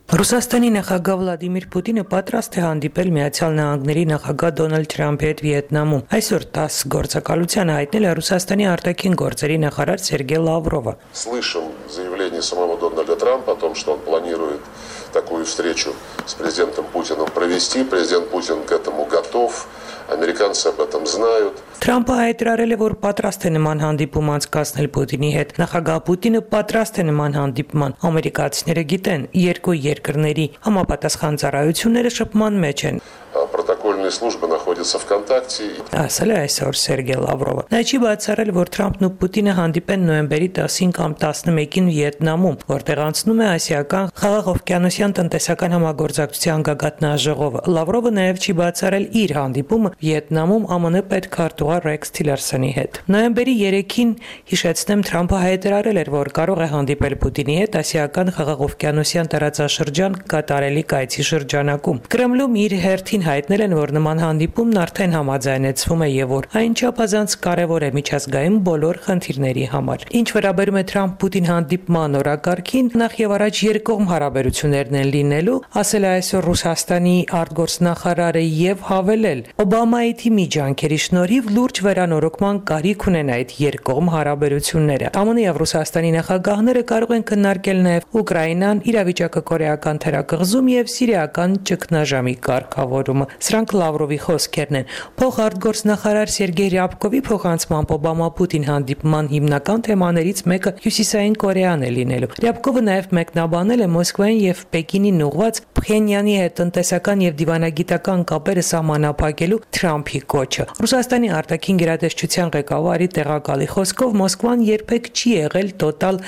Ռուսաստանի նախագահ Վլադիմիր Պուտինը պատրաստ է հանդիպել Միացյալ Նահանգների նախագահ Դոնալդ Թրամփի հետ Վիետնամում։ Այսօր տաս գործակալությանը հայտնել է Ռուսաստանի արտաքին գործերի նախարար Սերգեյ Լավրովը։ Слышим заявление самого Дональда Трампа о том, что он планирует такую встречу с президентом Путиным провести. Президент Путин к этому готов. Ամերիկանцы об этом знают. Թրամփը հայտարարել է, որ պատրաստ է նման հանդիպում անցկացնել Պուտինի հետ։ Նախագահ Պուտինը պատրաստ է նման հանդիպման։ Ամերիկացիները գիտեն, երկու երկրների համապատասխան ծառայությունները շփման մեջ են։ Протокольные службы находятся ВКонтакте. Ասել է այսօր Սերգեյ Լավրովը։ Նա չի բացառել, որ Թրամփն ու Պուտինը հանդիպեն նոյեմբերի տասին կամ տասնմեկին Վիետնամում, որտեղ անցնում է ասիական խաղաղօվկիանոսյան տնտեսական համագործակցության գագաթնաժողովը։ Լավրովը նաև չի բացառել իր հանդիպումը Վիետնամում ԱՄՆ պետքարտուղար Ռեքս Թիլերսոնի հետ։ Նոյեմբերի երեքին, հիշեցնեմ, Թրամփը հայտարարել էր, որ կարող է հանդիպել Պուտինի հետ ասիական խաղաղօվկիանոսյան տարածաշրջան կատարելի կայցի շրջանակում։ Կրեմլում իր հերթին հայտնել են, որ նման հանդիպումն արդեն համաձայնեցվում է եւ որ այն չափազանց կարեւոր է միջազգային բոլոր խնդիրների համար։ Ինչ վերաբերում է Թրամփ-Պուտին հանդիպման օրակարգին, նախ եւ առաջ երկկողմ հարաբերություններն են լինելու, ասել է այսօր Ռուսաստանի արտգործնախարարը եւ հավելել. Օբամայի թիմի ջանքերի շնորհիվ լուրջ վերանորոգման կարիք ունեն այդ երկկողմ հարաբերությունները։ ԱՄՆ եւ Ռուսաստանի նախագահները կարող են քննարկել նաեւ Ուկրաինան, իրավիճակը կորեական թերակղզում եւ սիրիական ճգնաժամի կարգավորումը։ Սրանք Լավրովի խոսքերն են։ Փոխարտգործնախարար Սերգեյ Ռյաբկովի փոխանցմամբ Օբամա-Պուտին հանդիպման հիմնական թեմաներից մեկը Հյուսիսային Կորեան է լինելու։ Ռյաբկովը նաև մեկնաբանել է Մոսկվային եւ Պեկինին ուղղված Փխենյանի հետ տնտեսական եւ դիվանագիտական կապերը սահմանափակելու Թրամփի կոչը։ Ռուսաստանի արտաքին գերատեսչության ղեկավարի տեղակալի խոսքով Մոսկվան երբեք չի եղել տոտալ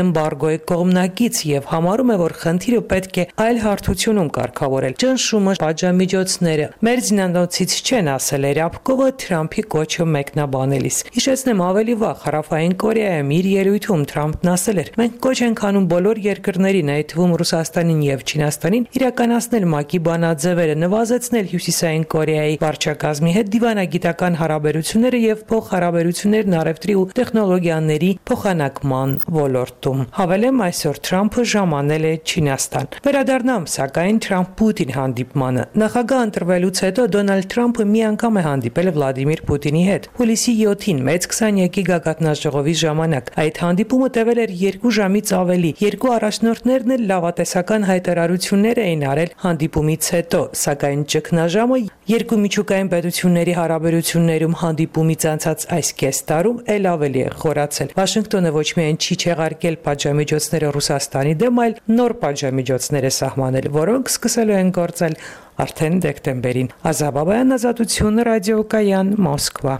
էմբարգոյի կողմնակից եւ համարում է, որ խնդիրը պետք է այլ հարթությունում կարգավորել։ Ճնշումը, պատժամիջոցները մեր զինանոցից չեն, ասել է Ռյաբկովը Թրամփի կոչը մեկնաբանելիս։ Հիշեցնեմ, ավելի վաղ Հարավային Կորեայում իր ելույթում Թրամփն ասել էր. մենք կոչ ենք անում բոլոր երկրներին, այդ թվում Ռուսաստանին եւ Չինաստանին, իրականացնել ՄԱԿ-ի բանաձևերը, նվազեցնել Հյուսիսային Կորեայի վարչակազմի հետ դիվանագիտական հարաբերությունները եւ փոխհարաբերություններն առևտրի ու տեխնոլոգիաների փոխանակման ոլորտում։ Հավելեմ, այսօր Թրամփը ժամանել է Չինաստան։ Վերադառնամ սակայն Թրամփ-Պուտին հանդիպմանը։ Նախագահ ընտրվելուց հետո Դոնալդ Թրամփը մի անգամ է հանդիպել Վլադիմիր Պուտինի հետ։ Հուլիսի յոթին մեծ քսանյակի գագաթնաժողովի ժամանակ այդ հանդիպումը տևել էր երկու ժամից ավելի։ Երկու առաջնորդներն էլ լավատեսական հայտարարություններ էին արել հանդիպումից հետո, սակայն ճգնաժամը երկու միջուկային պետությունների հարաբերություններում հանդիպումից անցած այս կես տարում էլ ավելի է խորացել։ Վաշինգտոնը ոչ միայն չի չեղարկել պատժամիջոցները Ռուսաստանի դեմ, այլ նոր պատժամիջոցներ է սահմանել, որոնք սկսելու են գործել արդեն դեկտեմբերին։ Ազա Բաբայան, Ազատություն, Ռադիոկայան, Մոսկվա։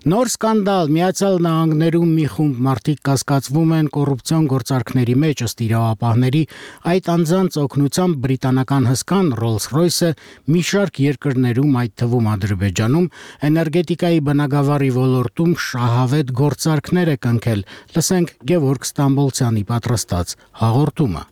Նոր սկանդալ Միացյալ Նահանգներում մի խումբ մարդիկ կասկածվում են կոռուպցիոն գործարքների մեջ, ըստ իրավապահների, այդ անձանց օգնությամբ բրիտանական հսկան Rolls-Royce-ը մի շարք երկրներում, այդ թվում Ադրբեջանում, էներգետիկայի բնագավառի ոլորտում շահավետ գործարքներ է կնքել։ Լսենք Գևորգ Ստամբոլցյանի պատրաստած հաղորդումը։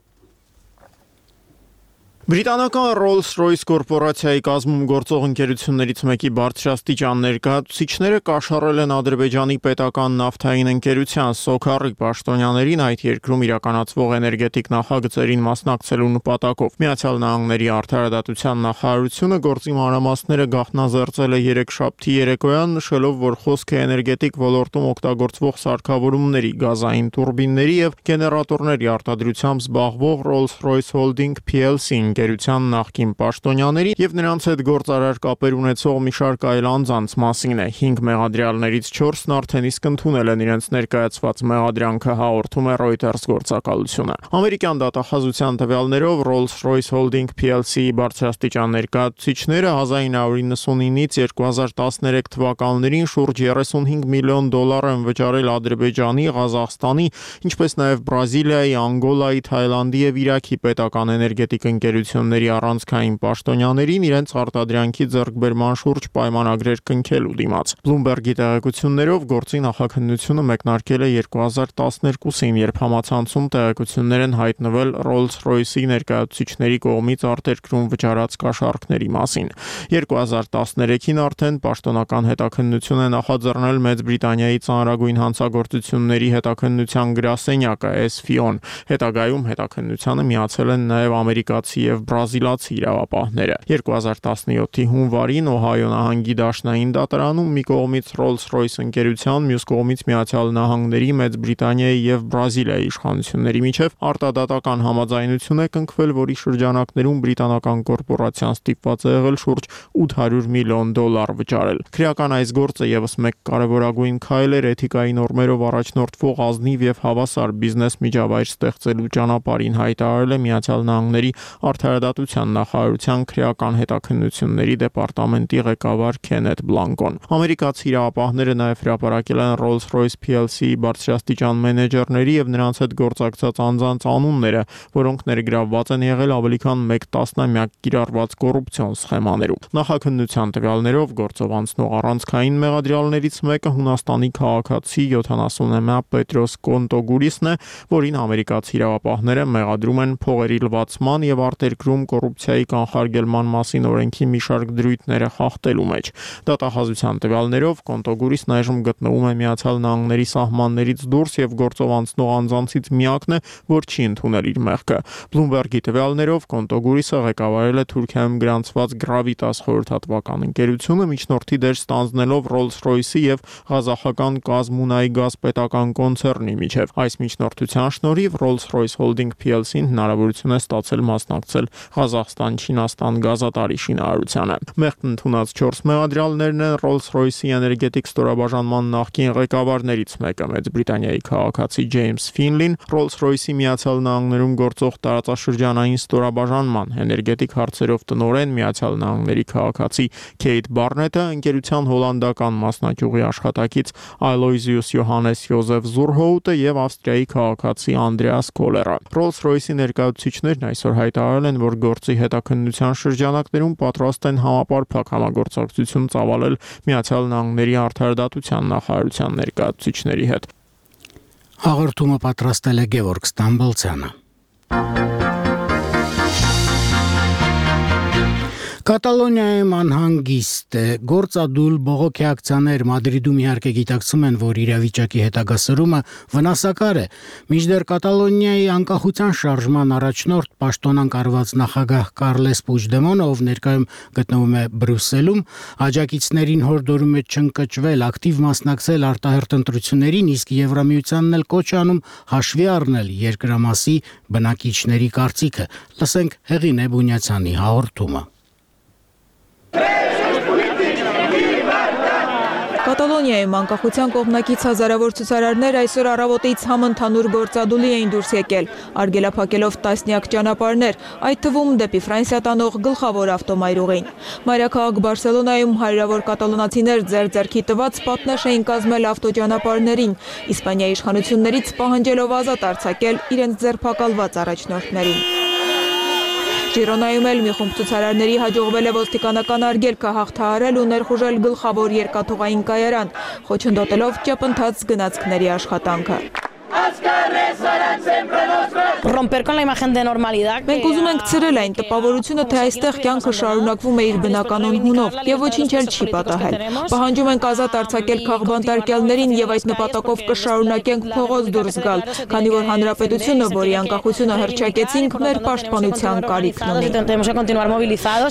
Բրիտանական Rolls-Royce կորպորացիայի կազմում գործող ընկերություններից մեկի բարձրաստիճան ներկայացուցիչները կաշառել են Ադրբեջանի պետական նավթային ընկերության Սոքարի պաշտոնյաներին այդ երկրում իրականացվող էներգետիկ նախագծերին մասնակցելու նպատակով։ Միացյալ Նահանգների արդարադատության նախարարությունը գործի մանրամասները գաղտնազերծել է երեքշաբթի երեկոյան, նշելով, որ խոսքը էներգետիկ ոլորտում օգտագործվող սարքավորումների, գազային տուրբինների եւ գեներատորների արտադրությամբ զբաղվող Rolls-Royce Holding P L C-ին ընկերության նախկին պաշտոնյաների եւ նրանց հետ գործարար կապեր ունեցող մի շարք այլ անձանց մասին է։ հինգ մեղադրյալներից չորսն արդեն իսկ ընդունել են իրենց ներկայացված մեղադրանքը, հաղորդում է Reuters գործակալությունը։ Ամերիկյան դատախազության տվյալներով Rolls-Royce Holding P L C-ի բարձրաստիճան ներկայացուցիչները հազար ինը հարյուր նվաթյանից երկու հազար տասներեք թվականներին շուրջ երեսունհինգ միլիոն դոլար են վճարել Ադրբեջանի, Ղազախստանի, ինչպես նաև Բրազիլիայի, Անգոլայի, Թայլանդի եւ Իրաքի պետական էներգետիկ ընկերությունների առանցքային պաշտոնյաներին իրենց արտադրանքի ձեռքբերման շուրջ պայմանագրեր կնքելու դիմաց։ Bloomberg-ի տեղեկություններով գործի նախաքննությունը մեկնարկել է երկու հազար տասներկուսին, երբ համացանցում տեղեկություններ են հայտնվել Rolls-Royce-ի ներկայացուցիչների կողմից արտերկրում վճարած կաշառքների մասին։ երկու հազար տասներեքին արդեն պաշտոնական հետաքննություն է նախաձեռնել Մեծ Բրիտանիայի ծանրագույն հանցագործությունների հետաքննության գրասենյակը S F I O-ն։ Հետագայում հետաքննությանը միացել են նաև ամերիկացի եւ բրազիլացի իրավապահները։ երկու հազար տասնյոթի հունվարին Օհայո նահանգի դաշնային դատարանում մի կողմից Rolls-Royce ընկերության, մյուս կողմից Միացյալ Նահանգների, Մեծ Բրիտանիայի եւ Բրազիլիայի իշխանությունների միջև արտադատական համաձայնություն է կնքվել, որի շրջանակներում բրիտանական կորպորացիան ստիպված է եղել շուրջ ութ հարյուր միլիոն դոլար վճարել։ Քրեական այս գործը եւս մեկ կարևորագույն քայլ էր էթիկայի նորմերով առաջնորդվող ազնիվ եւ հավասար բիզնես միջավայր ստեղծելու ճանապարհին, հայտարարել է Միացյալ Նահանգների արդարադատության նախարարության քրեական հետաքննությունների դեպարտամենտի ղեկավար Քենեթ Բլանկոն։ Ամերիկացի իրավապահները նաև հրապարակել են Rolls-Royce P L C-ի բարձրաստիճան մենեջերների եւ նրանց հետ գործակցած անձանց անունները, որոնք ներգրավված են եղել ավելի քան մեկ տասնամյակ կիրառված կոռուպցիոն սխեմաներում։ Նախաքննության տվյալներով գործով անցնող առանցքային մեղադրյալներից մեկը Հունաստանի քաղաքացի յոթանասունամյա Պետրոս Կոնտոգուրիսն է, որին ամերիկացի իրավապահները մեղադրում են փողերի լվացման եւ արտերկրում կոռուպցիայի կանխարգելման մասին օրենքի մի շարք դրույթները խախտելու մեջ։ Դատախազության տվյալներով Կոնտոգուրիսն այժմ գտնվում է Միացյալ Նահանգների սահմաններից դուրս եւ գործով անցնող անձանցից միակն է, որ չի ընդունել իր մեղքը։ Bloomberg-ի տվյալներով Կոնտոգուրիսը ղեկավարել է Թուրքիայում գրանցված Gravitas խորհրդատվական ընկերությունը, միջնորդի դեր ստանձնելով Rolls-Royce-ի եւ ղազախական Կազմունայի գազ պետական կոնցեռնի միջև։ Այս միջնորդության շնորհիվ Rolls-Royce Holding P L C-ն հնարավորություն է ստացել մասնակցել Ղազախստան-Չինաստան գազատարի շինարարությանը։ Մեղքն ընդունած չորս մեղադրյալներն են Rolls-Royce-ի էներգետիկ ստորաբաժանման նախկին ղեկավարներից մեկը, Մեծ Բրիտանիայի քաղաքացի Ջեյմս Ֆինլին, Rolls-Royce-ի Միացյալ Նահանգներում գործող տարածաշրջանային ստորաբաժանման էներգետիկ հարցերով տնօրեն, Միացյալ Նահանգների քաղաքացի Քեյթ Բարնետը, ընկերության հոլանդական մասնաճյուղի աշխատակից Aloysius Johannes Joseph Zurhout-ը եւ Ավստրիայի քաղաքացի Անդրեաս Կոլերը։ Rolls-Royce-ի ներկայացուցիչներն այսօր հայտարարել են, որ գործի հետաքննության շրջանակներում պատրաստ են համապարփակ համագործակցություն ծավալել Միացյալ Նահանգների արդարադատության նախարարության ներկայացուցիչների հետ։ Հաղորդումը պատրաստել է Գևորգ Ստամբոլցյանը։ Կատալոնիայում անհանգիստ է։ Գործադուլ բողոքի ակցիաներ Մադրիդում իհարկե գիտակցում են, որ իրավիճակի հետագա սրումը վնասակար է։ Մինչդեռ Կատալոնիայի անկախության շարժման առաջնորդ պաշտոնանկ արված նախագահ Կարլես Պուջդեմոնը, ով ներկայում գտնվում է Բրյուսելում, աջակիցներին հորդորում է չընկճվել, ակտիվ մասնակցել արտահերթ ընտրություններին, իսկ Եվրամիությանն էլ կոչ է անում հաշվի առնել երկրամասի բնակիչների կարծիքը։ Լսենք Հեղինե Բունյացյանի հաղորդումը։ Կատալոնիայում անկախության կողմնակից հազարավոր ցուցարարներ այսօր առավոտից համընդհանուր գործադուլի էին դուրս եկել, արգելափակելով տասնյակ ճանապարհներ, այդ թվում դեպի Ֆրանսիա տանող գլխավոր ավտոմայրուղին։ Մայրաքաղաք Բարսելոնայում հարյուրավոր կատալոնացիներ ձեռ-ձեռքի տված պատնեշ էին կազմել ավտոճանապարհներին, Իսպանիայի իշխանություններից պահանջելով ազատ արձակել իրենց ձերբակալված առաջնորդներին։ Ժիրոնայում էլ մի խումբ ցուցարարների հաջողվել է ոստիկանական արգելքը հաղթահարել ու ներխուժել գլխավոր երկաթուղային կայարան, խոչընդոտելով ճապընթաց գնացքների աշխատանքը։ Մենք ուզում ենք ցրել այն տպավորությունը, թե այստեղ կյանքը շարունակվում է իր բնականon հունով եւ ոչինչ էլ չի պատահել։ Պահանջում ենք ազատ արձակել քաղբանտարկյալներին եւ այդ նպատակով կշարունակենք փողոց դուրս գալ, քանի որ հանրապետությունը, որի անկախությունը հռչակեցինք, մեր պաշտպանության կարիքն ունի։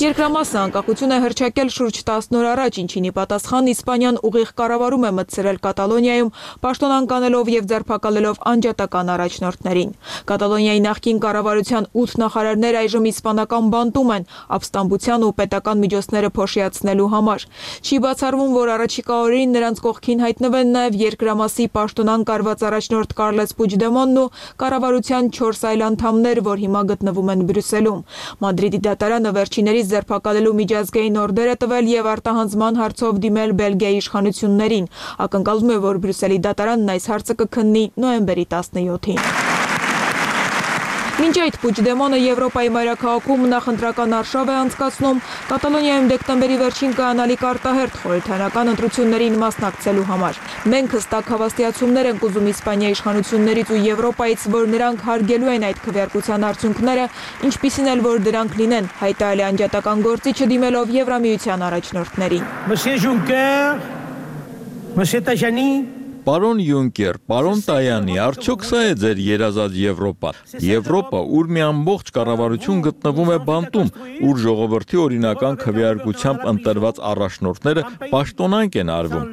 Երկրամասը անկախությունը հռչակել շուրջ տասն օր առաջ, ինչին ի պատասխան Իսպանիան ուղիղ կառավարում է մտցրել Կատալոնիայում, պաշտոնանկանելով եւ ձերբակալելով անջատական առաջնորդներին։ Կատալոնիայի Կատալոնիայի նախկին կառավարության ութ նախարարներ այժմ իսպանական բանտում են ապստամբության ու պետական միջոցները փոշիացնելու համար։ Չի բացառվում, որ առաջիկա օրերին նրանց կողքին հայտնվեն նաև երկրամասի պաշտոնան կարված առաջնորդ Կարլես Պուջդեմոնն ու կառավարության չորս այլ անդամներ, որ հիմա գտնվում են Բրյուսելում։ Մադրիդի դատարանը վերջիներիս ձերբակալելու միջազգային օրդեր է տվել եւ արտահանձնման հարցով դիմել Բելգիայի իշխանություններին։ Ակնկալվում է, որ Բրյուսելի դատարանն այս հարցը կքննի նոյեմբերի տասնյոթին։ Մինչ այդ Պուջդեմոնը Եվրոպայի մայրաքաղաքում նախընտրական արշավ է անցկացնում, Կատալոնիայում դեկտեմբերի վերջին կայանալիք արտահերթ խորհրդարանական ընտրություններին մասնակցելու համար։ Մենք հստակ հավաստիացումներ ենք ուզում Իսպանիայի իշխանություններից ու Եվրոպայից, որ նրանք հարգելու են այդ քվեարկության արդյունքները, ինչպիսին էլ որ դրանք լինեն, հայտարարել է անջատական գործիչը դիմելով Եվրամիության առաջնորդներին։ Monsieur Juncker, Monsieur Tajani, Պարոն Յունկեր, պարոն Տայանի, արդյոք սա է ձեր երազած Եվրոպան։ Եվրոպա, ուր մի ամբողջ կառավարություն գտնվում է բանտում, ուր ժողովրդի օրինական քվեարկությամբ ընտրված առաջնորդները պաշտոնանկ են արվում։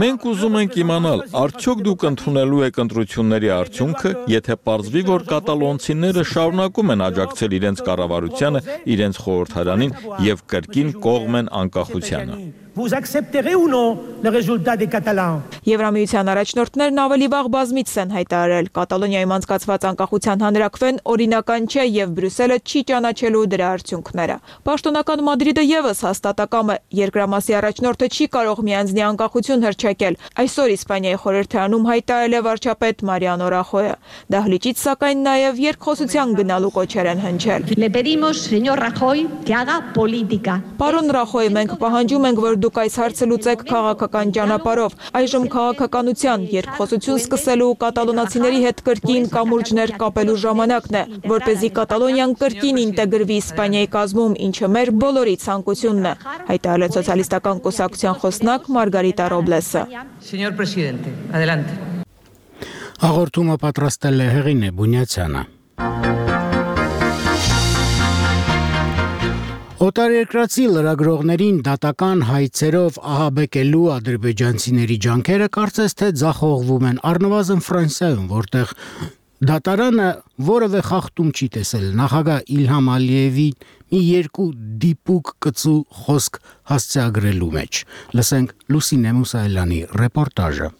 Մենք ուզում ենք իմանալ, արդյոք դուք ընդունելու եք ընտրությունների արդյունքը, եթե պարզվի, որ կատալոնցիները շարունակում են աջակցել իրենց կառավարությանը, իրենց խորհրդարանին եւ կրկին կողմ են անկախությանը։ Vous accepterez ou non le résultat des Catalans? Եվրամիության առաջնորդներն ավելի վաղ բազմիցս են հայտարարել, Կատալոնիայում անցկացված անկախության հանրաքվեն օրինական չէ եւ Բրյուսելը չի ճանաչելու դրա արդյունքները։ Պաշտոնական Մադրիդը եւս հաստատակամ է, երկրամասի առաջնորդը չի կարող միանձնի անկախություն հռչակել։ Այսօր Իսպանիայի խորհրդարանում հայտարարել է վարչապետ Մարիանո Ռախոյը։ Դահլիճից սակայն նաեւ երկխոսության գնալու կոչեր են հնչել։ Le pedimos, señor Rajoy, que haga política. Պարոն Ռախոյ, մենք պահանջում ենք, որ դուք այս հարցը լուծեք քաղաքական ճանապարհով։ Այժմ քաղաքականության երկխոսություն սկսելու կատալոնացիների հետ կրկին կամուրջներ կապելու ժամանակն է, որպեսզի Կատալոնիան կրկին ինտեգրվի Իսպանիայի կազմում, ինչը մեր բոլորի ցանկությունն է, հայտարարել սոցիալիստական կուսակցության խոսնակ Մարգարիտա Ռոբլեսը։ Señor presidente, adelante. Հաղորդումը պատրաստել է Հեղինե Բունյացյանը։ Օտարերկրացի լրագրողներին դատական հայցերով ահաբեկելու ադրբեջանցիների ջանքերը կարծես թե ձախողվում են առնվազն Ֆրանսիայում, որտեղ դատարանը որևէ խախտում չի տեսել նախագահ Իլհամ Ալիևի մի երկու դիպուկ կծու խոսք հասցեագրելու մեջ։ Լսենք Լուսինե Մուսայելյանի ռեպորտաժը։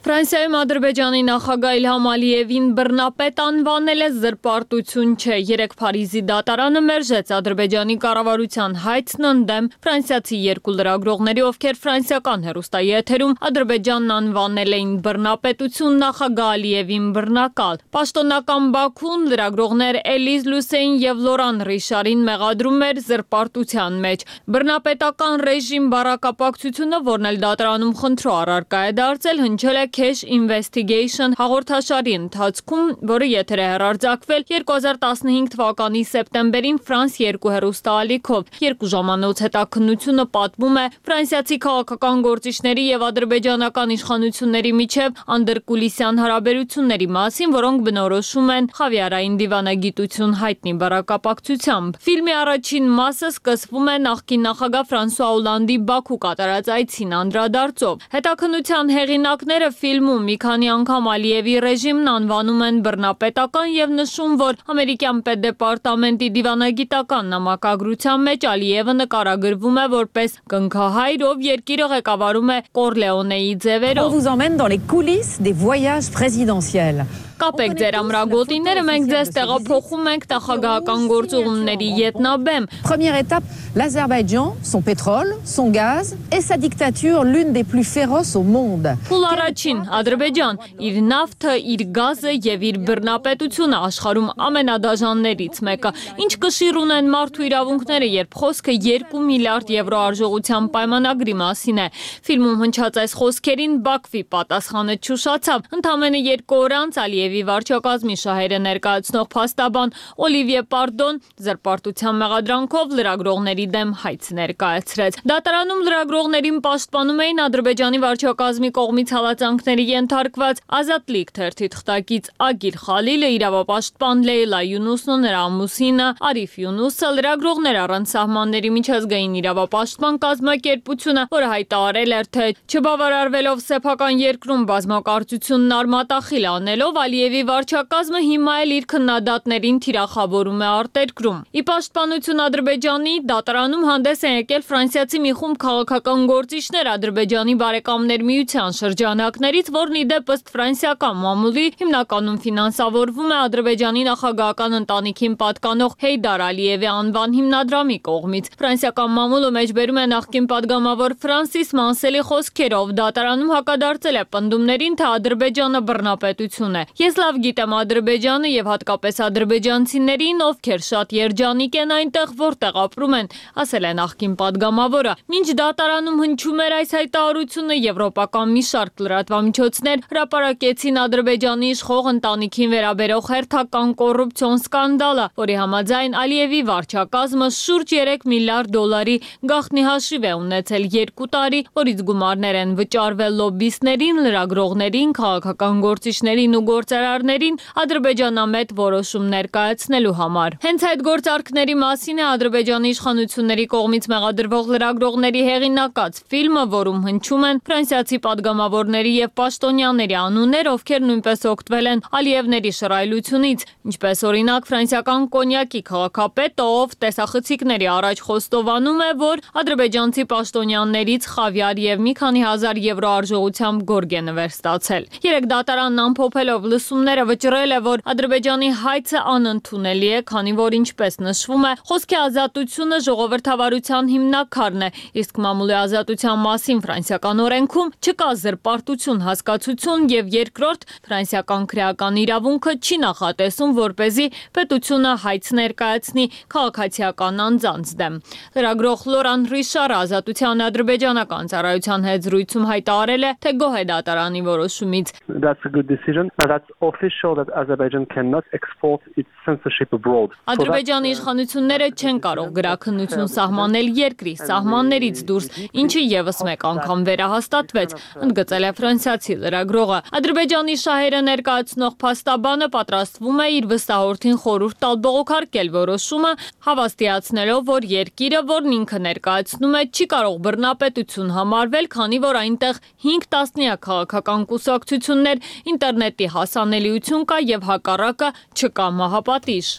Ֆրանսիայում Ադրբեջանի նախագահ Իլհամ Ալիևին բռնապետ անվանել է զրպարտություն չէ։ Երեկ Փարիզի դատարանը մերժեց Ադրբեջանի կառավարության հայցն ընդդեմ ֆրանսիացի երկու լրագրողների, ովքեր ֆրանսիական հեռուստայի էթերում Ադրբեջանն անվանել էին բռնապետություն, նախագահ Ալիևին բռնակալ։ Պաշտոնական Բաքուն լրագրողներ Էլիզ Լուսեին եւ Լորան Ռիշարին մեղադրում էր զրպարտության մեջ։ Բռնապետական ռեժիմ բառակապակցությունը, որն էլ դատարանում խնդրո առարկա է դարձել, հնչել է Cash Investigation հաղորդաշարի ընթացքում, որը եթեր է հեռարձակվել երկու հազար տասնհինգ թվականի սեպտեմբերին Ֆրանս երկու հեռուստաալիքով։ Երկու ժամանոց հետաքննությունը պատմում է ֆրանսիացի քաղաքական գործիչների եւ ադրբեջանական իշխանությունների միջև անդրկուլիսյան հարաբերությունների մասին, որոնք բնորոշում են խավիարային դիվանագիտություն հայտնի բառակապակցությամբ։ Ֆիլմի առաջին մասը սկսվում է նախկին նախագահ Ֆրանսուଆ Օլանդի Բաքու կատարած այցին անդրադարձով։ Հետաքննության հեղինակները ֆիլմում մի քանի անգամ Ալիևի ռեժիմն անվանում են բռնապետական եւ նշում, որ ամերիկյան պետդեպարտամենտի դիվանագիտական նամակագրության մեջ Ալիևը նկարագրվում է որպես կնքահայր, ով երկիրը ղեկավարում է Կորլեոնեի ձևերով։ On vous emmène dans les coulisses des voyages présidentiels. Կապեք ձեր ամրագոտիները, մենք ձեզ տեղափոխում ենք նախագահական գործողումների ետնաբեմ։ Première étape, l'Azerbaïdjan, son pétrole, son gaz et sa dictature, l'une des plus féroces au monde. Փուլ առաջին, Ադրբեջան, իր նավթը, իր գազը եւ իր բռնապետությունը աշխարհում ամենադաժաններից մեկը։ Ինչ կշիռ ունեն մարդու իրավունքները, երբ խոսքը երկու միլիարդ եվրո արժողության պայմանագրի մասին է։ Ֆիլմում հնչած այս խոսքերին Բաքվի պատասխանը չուշացավ։ Ընդամենը երկու օր անց Ալիևի վարչակազմի շահերը ներկայացնող փաստաբան Օլիվիե Պարդոն զրպարտության մեղադրանքով լրագրողների դեմ հայց ներկայացրեց։ Դատարանում լրագրողներին պաշտպանում էին Ադրբեջանի վարչակազմի կողմից հալածանքների ենթարկված Ազատլիկ թերթի թղթակից Ագիլ Խալիլը, իրավապաշտպան Լեյլա Յունուսն ու նրա ամուսինը Արիֆ Յունուսը, լրագրողներ առանց սահմանների միջազգային իրավապաշտպան կազմակերպությունը, որը հայտարարել էր, թե չբավարարվելով սեփական երկրում բազմակարծությունն արմատախիլ անելով Ալիևի վարչակազմը հիմա էլ իր քննադատներին թիրախավորում է արտերկրում։ Ի պաշտպանություն Ադրբեջանի դատարանում հանդես են եկել ֆրանսիացի մի խումբ քաղաքական գործիչներ Ադրբեջանի բարեկամներ միության շրջանակներից, որն ի դեպ ըստ ֆրանսիական մամուլի հիմնականում ֆինանսավորվում է Ադրբեջանի նախագահական ընտանիքին պատկանող Հեյդար Ալիևի անվան հիմնադրամի կողմից։ Ֆրանսիական մամուլը մեջբերում է նախկին падգամավոր Ֆրանսիս Մանսելի խոսքերով դատարանում հակադարձել է պնդումներին, թե Ադրբեջանը բռնապետություն է։ Ես լավ գիտեմ Ադրբեջանը եւ հատկապես ադրբեջանցիներին, ովքեր շատ երջանիկ են այնտեղ, որտեղ ապրում են, ասել է նախկին падգամավորը։ Մինչ դատարանում հնչում էր այս հայտարարությունը, եվրոպական մի շարք լրատվամիջոցներ հրապարակեցին Ադրբեջանի իշխող ընտանիքին վերաբերող հերթական կոռուպցիոն սկանդալը, որի համաձայն Ալիևի վարչակազմը շուրջ երեք միլիարդ դոլարի գաղտնի հաշիվ է ունեցել երկու տարի, որից գումարներ են վճարվել լոբբիստներին, լրագրողներին, քաղաքական գործիչներին ու գործարարներին ադրբեջանամետ որոշումներ կայացնելու համար։ Հենց այդ գործարքների մասին է Ադրբեջանի իշխանությունների կողմից մեղադրվող լրագրողների հեղինակած ֆիլմը, որում հնչում են ֆրանսիացի падգամավորների եւ պաշտոնյաների անուններ, ովքեր նույնպես օգտվել են Ալիևների շռայլությունից, ինչպես օրինակ ֆրանսիական կոնյակի քաղաքապետը, ով տեսախցիկների առաջ խոստովանում է, որ ադրբեջանցի պաշտոնյաններից խավիար եւ մի քանի հազար եվրո արժողությամբ գորգ է նվեր ստացել։ Երեք դատարանն ամփոփելով լսումները վճռել է, որ Ադրբեջանի հայցը անընդունելի է, քանի որ ինչպես նշվում է, խոսքի ազատությունը ժողովրդավարության հիմնաքարն է, իսկ մամուլի ազատության մասին ֆրանսիական օրենքում չկա զրպարտություն հասկացություն եւ երկրորդ ֆրանսիական քրեական իրավունքը չի նախատեսում, որպեսզի պետությունը հայց ներկայացնի քաղաքացիական անձանց դեմ։ Լրագրող Լորան Ռիշարը ազատության ադրբեջանական ծառայության հետ զրույցում հայտարարել է, թե գոհ է դատարանի որոշումից։ That's a good decision, but that's official that Azerbaijan cannot export its censorship abroad. Ադրբեջանի իշխանությունները չեն կարող գրաքննություն սահմանել երկրի սահմաններից դուրս, ինչը եւս մեկ անգամ վերահաստատվեց, ընդգծել է ֆրանսիացի լրագրողը։ Ադրբեջանի շահերը ներկայացնող փաստաբանը պատրաստվում է իր վստահորդին խորհուրդ տալ բողոքարկել որոշումը, հավաստիացնելով, որ երկիրը, որն ինքը ներկայացնում է, չի կարող բռնապետություն համարվել, քանի որ այնտեղ հինգ տասնյակ քաղաքական կուսակցություններ, ինտերնետի հասանելիություն կա եւ հակառակը չկա մահապատիժ։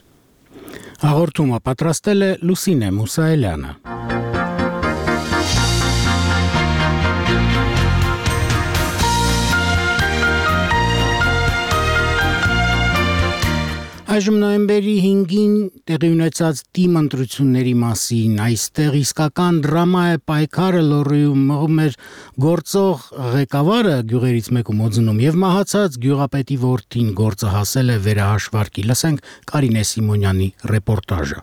Հաղորդումը պատրաստել է Լուսինե Մուսայելյանը։ Այժմ նոյեմբերի հինգին տեղի ունեցած թիմ ընտրությունների մասին այստեղ իսկական դրամա է պայքարը լոռիում մղում էր գործող ղեկավարը գյուղերից մեկում օձնում եւ մահացած գյուղապետի որդին գործը հասել է վերահաշվարկի։ Լսենք Կարինե Սիմոնյանի ռեպորտաժը։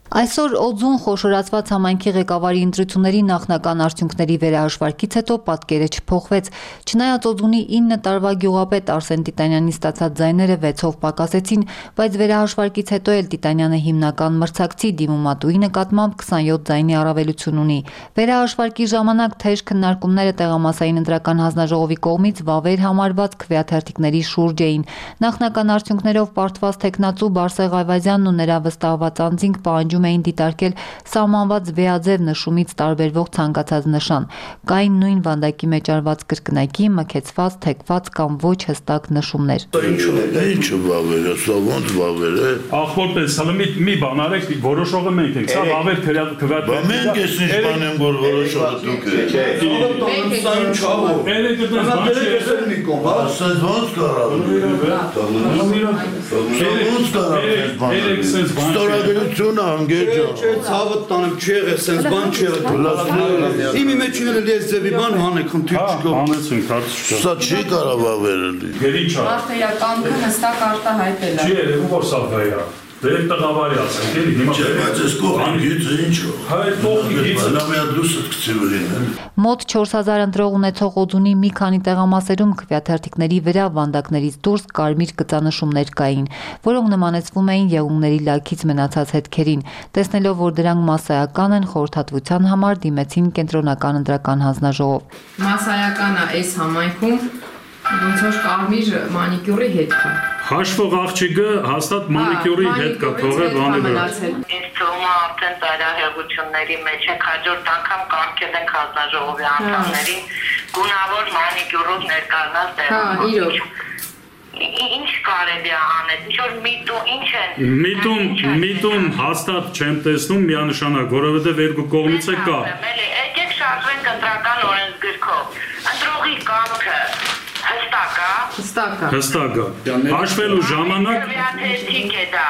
Այսօր օձուն խոշորացված համայնքի ղեկավարի ընտրությունների նախնական արդյունքների վերահաշվարկից հետո պատկերը չփոխվեց։ Չնայած օձունի ինը տարվա գյուղապետ Արսեն Տիտանյանի ստացած ձայները վեցով պակասեցին, բայց վերահաշվարկից հետո էլ Տիտանյանը հիմնական մրցակցի դիմումատուի նկատմամբ քսանյոթ ձայնի առավելություն ունի։ Վերահաշվարկի ժամանակ թեժ քննարկումները տեղամասային ընտրական հանձնաժողովի կողմից վավեր համարված քվեաթերթիկների շուրջ էին։ Նախնական արդյունքներով պարտված տեխնացու Բարսեղ Այվազյանն ու նրա վստահված անձինք պահանջում էին դիտարկել սահմանված վեաձև նշումից տարբերվող ցանկացած նշան։ Կային նույն վանդակի մեջ արված կրկնակի, մքեցված, թեքված կամ ոչ հստակ նշումներ։ Ինչու վավեր է, սա ոնց վավեր է։ Ախորպես, հələ մի մի բան արեք, որոշողը մենք ենք, սա վավեր քվեաթ։ Բա մենք ես ինչ բան եմ, որ որոշողը դուք եք։ Սա ինչ ավ։ Երեք դες բան չի։ Ասա ոնց կարա։ Ստորագրությունը Չէ, ցավը տանեմ չի եղել, sense բան չի եղել։ Իմի մեջ ունել ես ձևի բան հանեք, խնդիր չկա։ Հանեցինք, հարց չկա։ Սա չի կարող ավերել։ Գերիչա։ Արտերականքը հստակ արտահայտել է։ Չի երևում, որ սա վեյ է։ Դերեք տղավարի ասենք, էլի հիմա։ Չէ, բայց այս կողմի գիծը ինչ է։ Հայ կողմի գիծը լավ է դուսը կցիվրին։ Մոտ չորս հազար ընտրող ունեցող օձունի մի քանի տեղամասերում քվեաթերթիկների վրա վանդակներից դուրս կարմիր կծանշումներ կային, որոնք նմանեցվում էին եղունգների լաքից մնացած հետքերին։ Տեսնելով, որ դրանք մասսայական են, խորհրդատվության համար դիմեցին կենտրոնական ընտրական հանձնաժողով։ Մասսայական է այս համայնքում ոնց որ կարմիր մանիկյուրի հետ կա։ Հաշվող աղջիկը հաստատ մանիկյուրի հետ կա, թողել բանի վրա։ Ինձ թվում է արդեն ծայրահեղությունների մեջ ենք, հաջորդ անգամ կարգել ենք հանձնաժողովի անդամներին գունավոր մանիկյուրով ներկայանալ տեղում։ Հա, իրոք։ Ինչ կարելի է անել, ինչ որ միտում, ինչ են։ Միտում, միտում հաստատ չեմ տեսնում միանշանակ, որովհետև երկու կողմից է կա։ Եկեք շարժվենք ընտրական օրենսգրքով։ Ընտրողի կամքը հստակ է։ Հստակ է։ Հստակ է։ Հաշվելու ժամանակ քվեաթերթիկ է դա։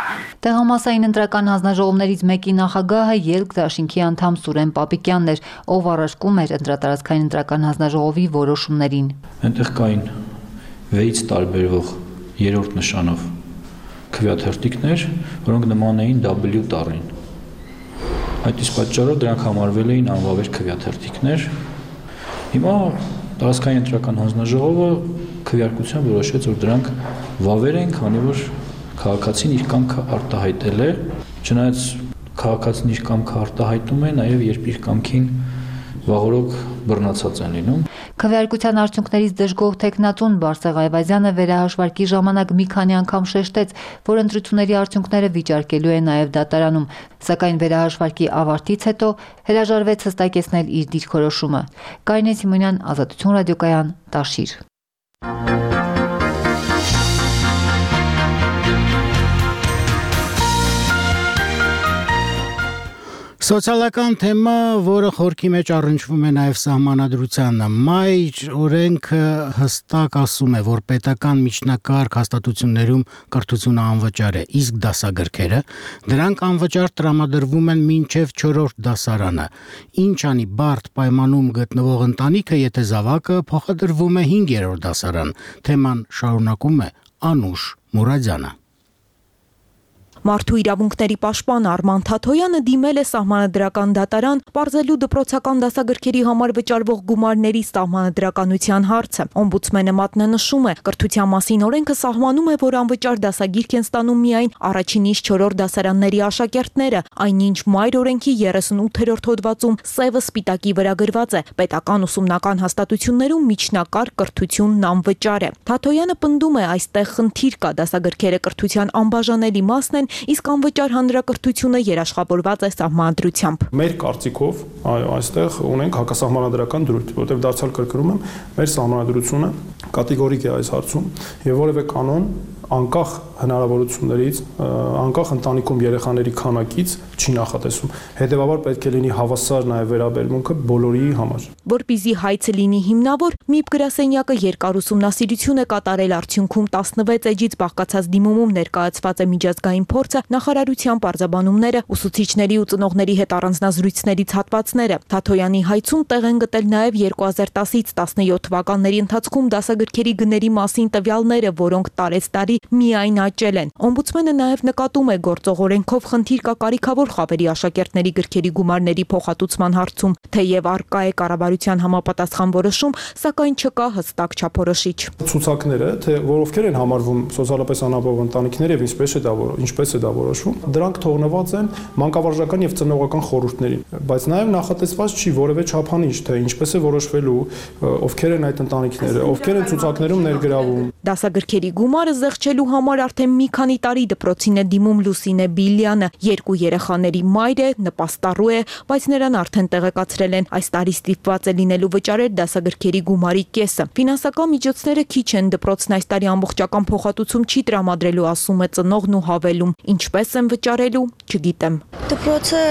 Տեղամասային ընտրական հանձնաժողովներից մեկի նախագահը Ելք դաշինքի անդամ Սուրեն Պապիկյանն էր, ով առարկում էր ընտրատարածքային ընտրական հանձնաժողովի որոշումներին։ Այնտեղ կային վեց տարբերվող երրորդ նշանով քվեաթերթիկներ, որոնք նման էին W տառին։ Այդ իսկ պատճառով դրանք համարվել էին անվավեր քվեաթերթիկներ։ Հիմա տարածքային ընտրական հանձնաժողովը քվեարկությամբ որոշեց, որ դրանք վավեր են, քանի որ քաղաքացին իր կամքը արտահայտել է, չնայած քաղաքացին իր կամքը արտահայտում է, նաև երբ իր կամքին վաղօրոք բռնացած են լինում։ Քվեարկության արդյունքներից դժգոհ տեխնատուն Բարսեղ Այվազյանը վերահաշվարկի ժամանակ մի քանի անգամ շեշտեց, որ ընտրությունների արդյունքները վիճարկելու է նաև դատարանում, սակայն վերահաշվարկի ավարտից հետո հրաժարվեց հստակեցնել իր դիրքորոշումը։ Կարինե Սիմոնյան, Ազատություն ռադիոկայան, Տաշիր։ Սոցիալական թեմա, որը խորքի մեջ առնչվում է նաև սահմանադրությանը, մայր օրենքը հստակ ասում է, որ պետական միջնակարգ հաստատություններում կրթությունը անվճար է, իսկ դասագրքերը դրանք անվճար տրամադրվում են մինչև չորրորդ դասարանը։ Ինչ անի բարդ պայմանում գտնվող ընտանիքը, եթե զավակը փոխադրվում է հինգերորդ դասարան։ Թեման շարունակում է Անուշ Մուրադյանը։ Մարդու իրավունքների պաշտպան Արման Թաթոյանը դիմել է սահմանադրական դատարան պարզելու դպրոցական դասագրքերի համար վճարվող գումարների սահմանադրականության հարցը։ Օմբուդսմենը մատնանշում է, կրթության մասին օրենքը սահմանում է, որ անվճար դասագիրք են ստանում միայն առաջինից չորրորդ դասարանների աշակերտները, այնինչ մայր օրենքի երեսունութերորդ հոդվածում սևը սպիտակի վրա գրված է. պետական ուսումնական հաստատություններում միջնակարգ կրթությունն անվճար է։ Թաթոյանը պնդում է, այստեղ խնդիր կա, դասագրքերը կրթության անբաժանելի մասն են, իսկ անվճար հանրակրթությունը երաշխավորված է սահմանադրությամբ։ Մեր կարծիքով այստեղ ունենք հակասահմանադրական դրույթ, որտեղ դարձյալ կրկնում եմ, մեր սահմանադրությունը կատեգորիկ է այս հարցում եւ որևէ կանոն անկախ հնարավորություններից, անկախ ընտանիքում երեխաների քանակից չի նախատեսում։ Հետևաբար պետք է լինի հավասար նաև վերաբերմունքը բոլորի համար։ Որպեսզի հայցը լինի հիմնավոր, ՄԻՊ գրասենյակը երկար ուսումնասիրություն է կատարել, արդյունքում տասնվեց էջից բաղկացած դիմումում ներկայացված է միջազգային փորձը, նախարարության պարզաբանումները, ուսուցիչների ու ծնողների հետ առանձնազրույցներից հատվածները։ Թաթոյանի հայցում տեղ են գտել նաև երկու հազար տասից տասնյոթ թվականների ընթացքում դասագրքերի գների մասին տվյալները, որոնք տարեցտարի միայն աճել են։ Օմբուդսմենը նաև նկատում է, գործող օրենքով խնդիր կա կարիքավոր խավերի աշակերտների գրքերի գումարների փոխհատուցման հարցում, թեև առկա է կառավարության համապատասխան որոշում, սակայն չկա հստակ չափորոշիչ։ Ցուցակները, թե որ ովքեր են համարվում սոցիալապես անապահով ընտանիքներ եւ ինչպես է դա ինչպես է դա որոշվում, դրանք թողնված են մանկավարժական եւ ծնողական խորհուրդներին, բայց նաև նախատեսված չի որևէ չափանիշ, թե ինչպես է որոշվելու, ովքեր են այդ ընտանիքները, ովքեր են ցուցակներում ներգրավում։ Դասագրքերի գումարը զեղչելու համար արդեն մի քանի տարի դպրոցին է դիմում Լուսինե Բիլյանը, երկու երեխաների մայր է, նպաստառու է, բայց նրան արդեն տեղեկացրել են, այս տարի ստիպված է լինելու վճարել դասագրքերի գումարի կեսը։ Ֆինանսական միջոցները քիչ են, դպրոցն այս տարի ամբողջական փոխհատուցում չի տրամադրելու, ասում է ծնողն ու հավելում, ինչպես են վճարելու, չգիտեմ։ Դպրոցը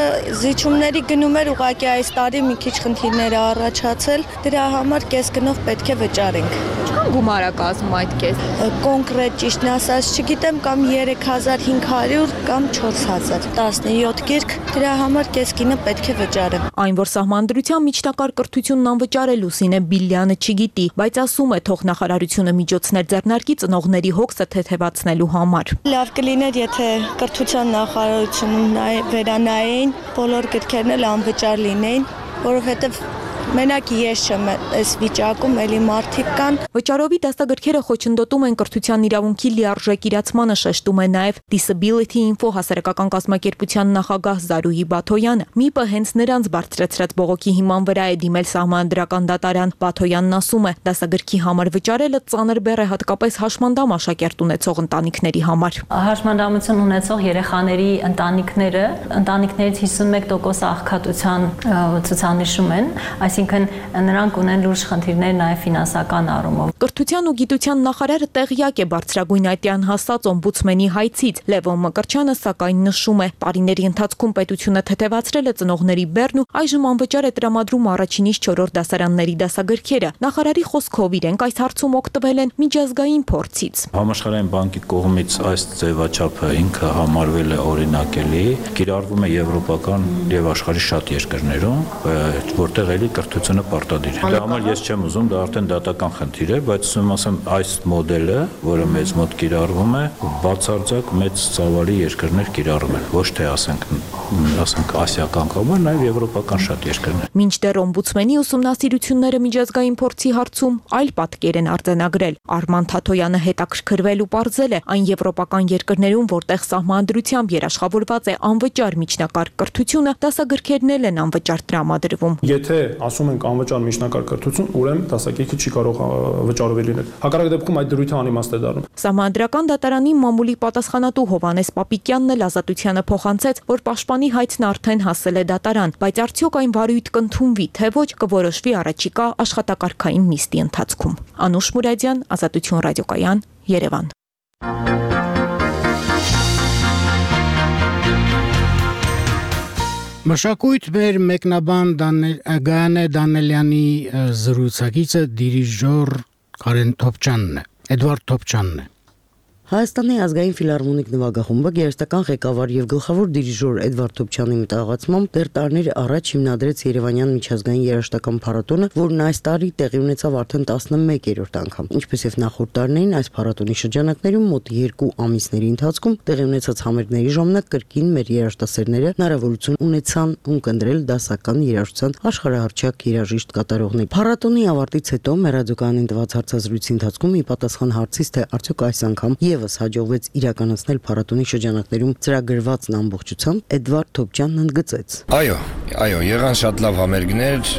զիջումների գնում էր, ուղղակի այս տարի մի քիչ խնդիրներ է առաջացել, դրա համար կես գնով պետք է վճարենք։ Ինչքան գումար է կազմում այդ կես։ Կոնկրետ ճիշտն ասած չգիտեմ, կամ երեք հազար հինգ հարյուր կամ չորս հազար, տասնյոթ գիրք, դրա համար կես գինը պետք է վճարեմ։ Այն, որ սահմանադրության միջնակարգ կրթությունն անվճար է, Լուսինե Բիլյանը չգիտի, բայց ասում է, թող նախարարությունը միջոցներ ձեռնարկի ծնողների հոգսը թեթևացնելու համար։ Լավ կլիներ, եթե կրթության նախարարությունը վերանայեն, բոլոր գրքերն էլ անվճար լինեին, որովհետև մենակ ես չեմ այս վիճակում, էլի մարդիկ կան։ Վճարովի դասագրքերը խոչընդոտում են կրթության իրավունքի լիարժեք իրացմանը, շեշտում է նաև Disability Info հասարակական կազմակերպության նախագահ Զարուհի Բաթոյանը։ ՄԻՊ-ը հենց նրանց բարձրացրած բողոքի հիման վրա է դիմել սահմանադրական դատարան։ Բաթոյանն ասում է, դասագրքի համար վճարելը ծանր բեռ է հատկապես հաշմանդամ աշակերտ ունեցող ընտանիքների համար։ Հաշմանդամություն ունեցող երեխաների ընտանիքները ընտանիքներից հիսունմեկ տոկոս աղքատության ցուցանիշում են, այս այսինքն նրանք ունեն լուրջ խնդիրներ նաև ֆինանսական առումով։ Կրթության ու գիտության նախարարը տեղյակ է բարձրագույն այդյան հասած օմբուդսմենի հայցից։ Լևոն Մկրտչյանը սակայն նշում է, տարիների ընթացքում պետությունը թեթևացրել է ծնողների բեռն ու այժմ անվճար է տրամադրում առաջինից չորրորդ դասարանների դասագրքերը։ Նախարարի խոսքով իրենք այս հարցում օգտվել են միջազգային փորձից։ Համաշխարհային բանկի կողմից այս ձևաչափը ինքը համարվել է օրինակելի, կիրառվում է եվրոպական եւ աշխարհի շատ երկրներում, որտեղ էլի կրթությունը պարտադիր է։ Դա համար ես չեմ ուզում, դա արդեն դատական խնդիր է, բայց ուսում ասեմ այս մոդելը, որը մեզ մոտ կիրառվում է, բացարձակ մեծ ծավալի երկրներ կիրառում են, ոչ թե ասենք, ասենք ասիական կամ նաեւ եվրոպական շատ երկրներ։ Մինչդեռ օմբուդսմենի ուսումնասիրությունները միջազգային փորձի հարցում այլ պատկեր են արձանագրել։ Արման Թաթոյանը հետաքրքրվել ու պարզել է այն եվրոպական երկրներում, որտեղ սահմանադրությամբ երաշխավորված է անվճար միջնակարգ կրթությունը, դասագրքերն էլ են անվճար տրամադրվում։ Եթե ասում ենք անվճար միջնակարգ կրթություն, ուրեմն դասակերպիչը չի կարող վճարովի լինել։ Հակառակ դեպքում այդ դրույթը անիմաստ է դառնում։ Սահմանադրական դատարանի մամուլի պատասխանատու Հովհաննես Պապիկյանն էլ Ազատությանը փոխանցեց, որ պաշտպանի հայցն արդեն հասել է դատարան, բայց արդյոք այն վարույթ կընդունվի, թե ոչ, կորոշվի առաջիկա աշխատակարգային նիստի ընթացքում։ Անուշ Մուրադյան, Ազատություն ռադիոկայան, Երևան։ Մշակույթ մեր մեկնաբան Գայանե Դանելյանի զրուցակիցը դիրիժոր Կարեն Թոփչյանն է, Էդվարդ Թոփչյանն է։ Հայաստանի ազգային ֆիլհարմոնիկ նվագախումբը երաժշտական ղեկավար եւ գլխավոր դիրիժոր Էդվարդ Թոփչյանի մտահղացմամբ դեռ տարիներ առաջ հիմնադրեց Երևանյան միջազգային երաժշտական փառատոնը, որն այս տարի տեղի ունեցավ արդեն տասնմեկերորդ անգամ։ Ինչպես եւ նախորդ տարիներին, այս փառատոնի շրջանակներում մոտ երկու ամիսների ընթացքում տեղի ունեցած համերգների ժամանակ կրկին մեր երաժշտասերները հնարավորություն ունեցան ունկնդրել դասական երաժշտության աշխարհահռչակ երաժիշտ կատարողներ։ Փառատոնի ավարտից հետո մեր ռադիոկայանին տված հարցազրույցի ընթացքում ի պատասխան հարցից, թե արդյոք այս անգամ եւս հաջողվեց իրականացնել փառատոնի շրջանակներում ծրագրվածն ամբողջությամբ, Էդվարդ Թոփչյանն ընդգծեց. Այո, այո, եղան շատ լավ համերգներ,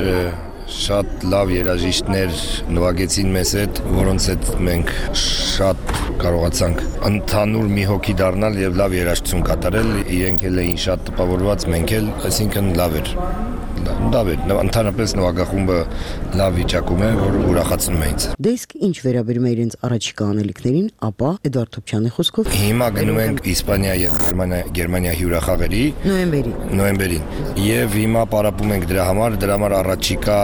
շատ լավ երաժիշտներ նվագեցին մեզ հետ, որոնց հետ մենք շատ կարողացանք ընդհանուր մի հոգի դառնալ եւ լավ երաժշտություն կատարել, իրենք էլ էին շատ տպավորված, մենք էլ, այսինքն լավ էր։ Լավ է, ընդհանրապես նվագախումբը լավ վիճակում է, որ ուրախացնում է ինձ։ Դե իսկ ինչ վերաբերում է իրենց առաջիկա անելիքներին, ապա Էդվարդ Թոփչյանի խոսքով հիմա գնում ենք Իսպանիա եւ Գերմանիա, Գերմանիա հյուրախաղերի նոյեմբերի նոյեմբերին եւ հիմա պարապում ենք դրա համար, դրա համար առաջիկա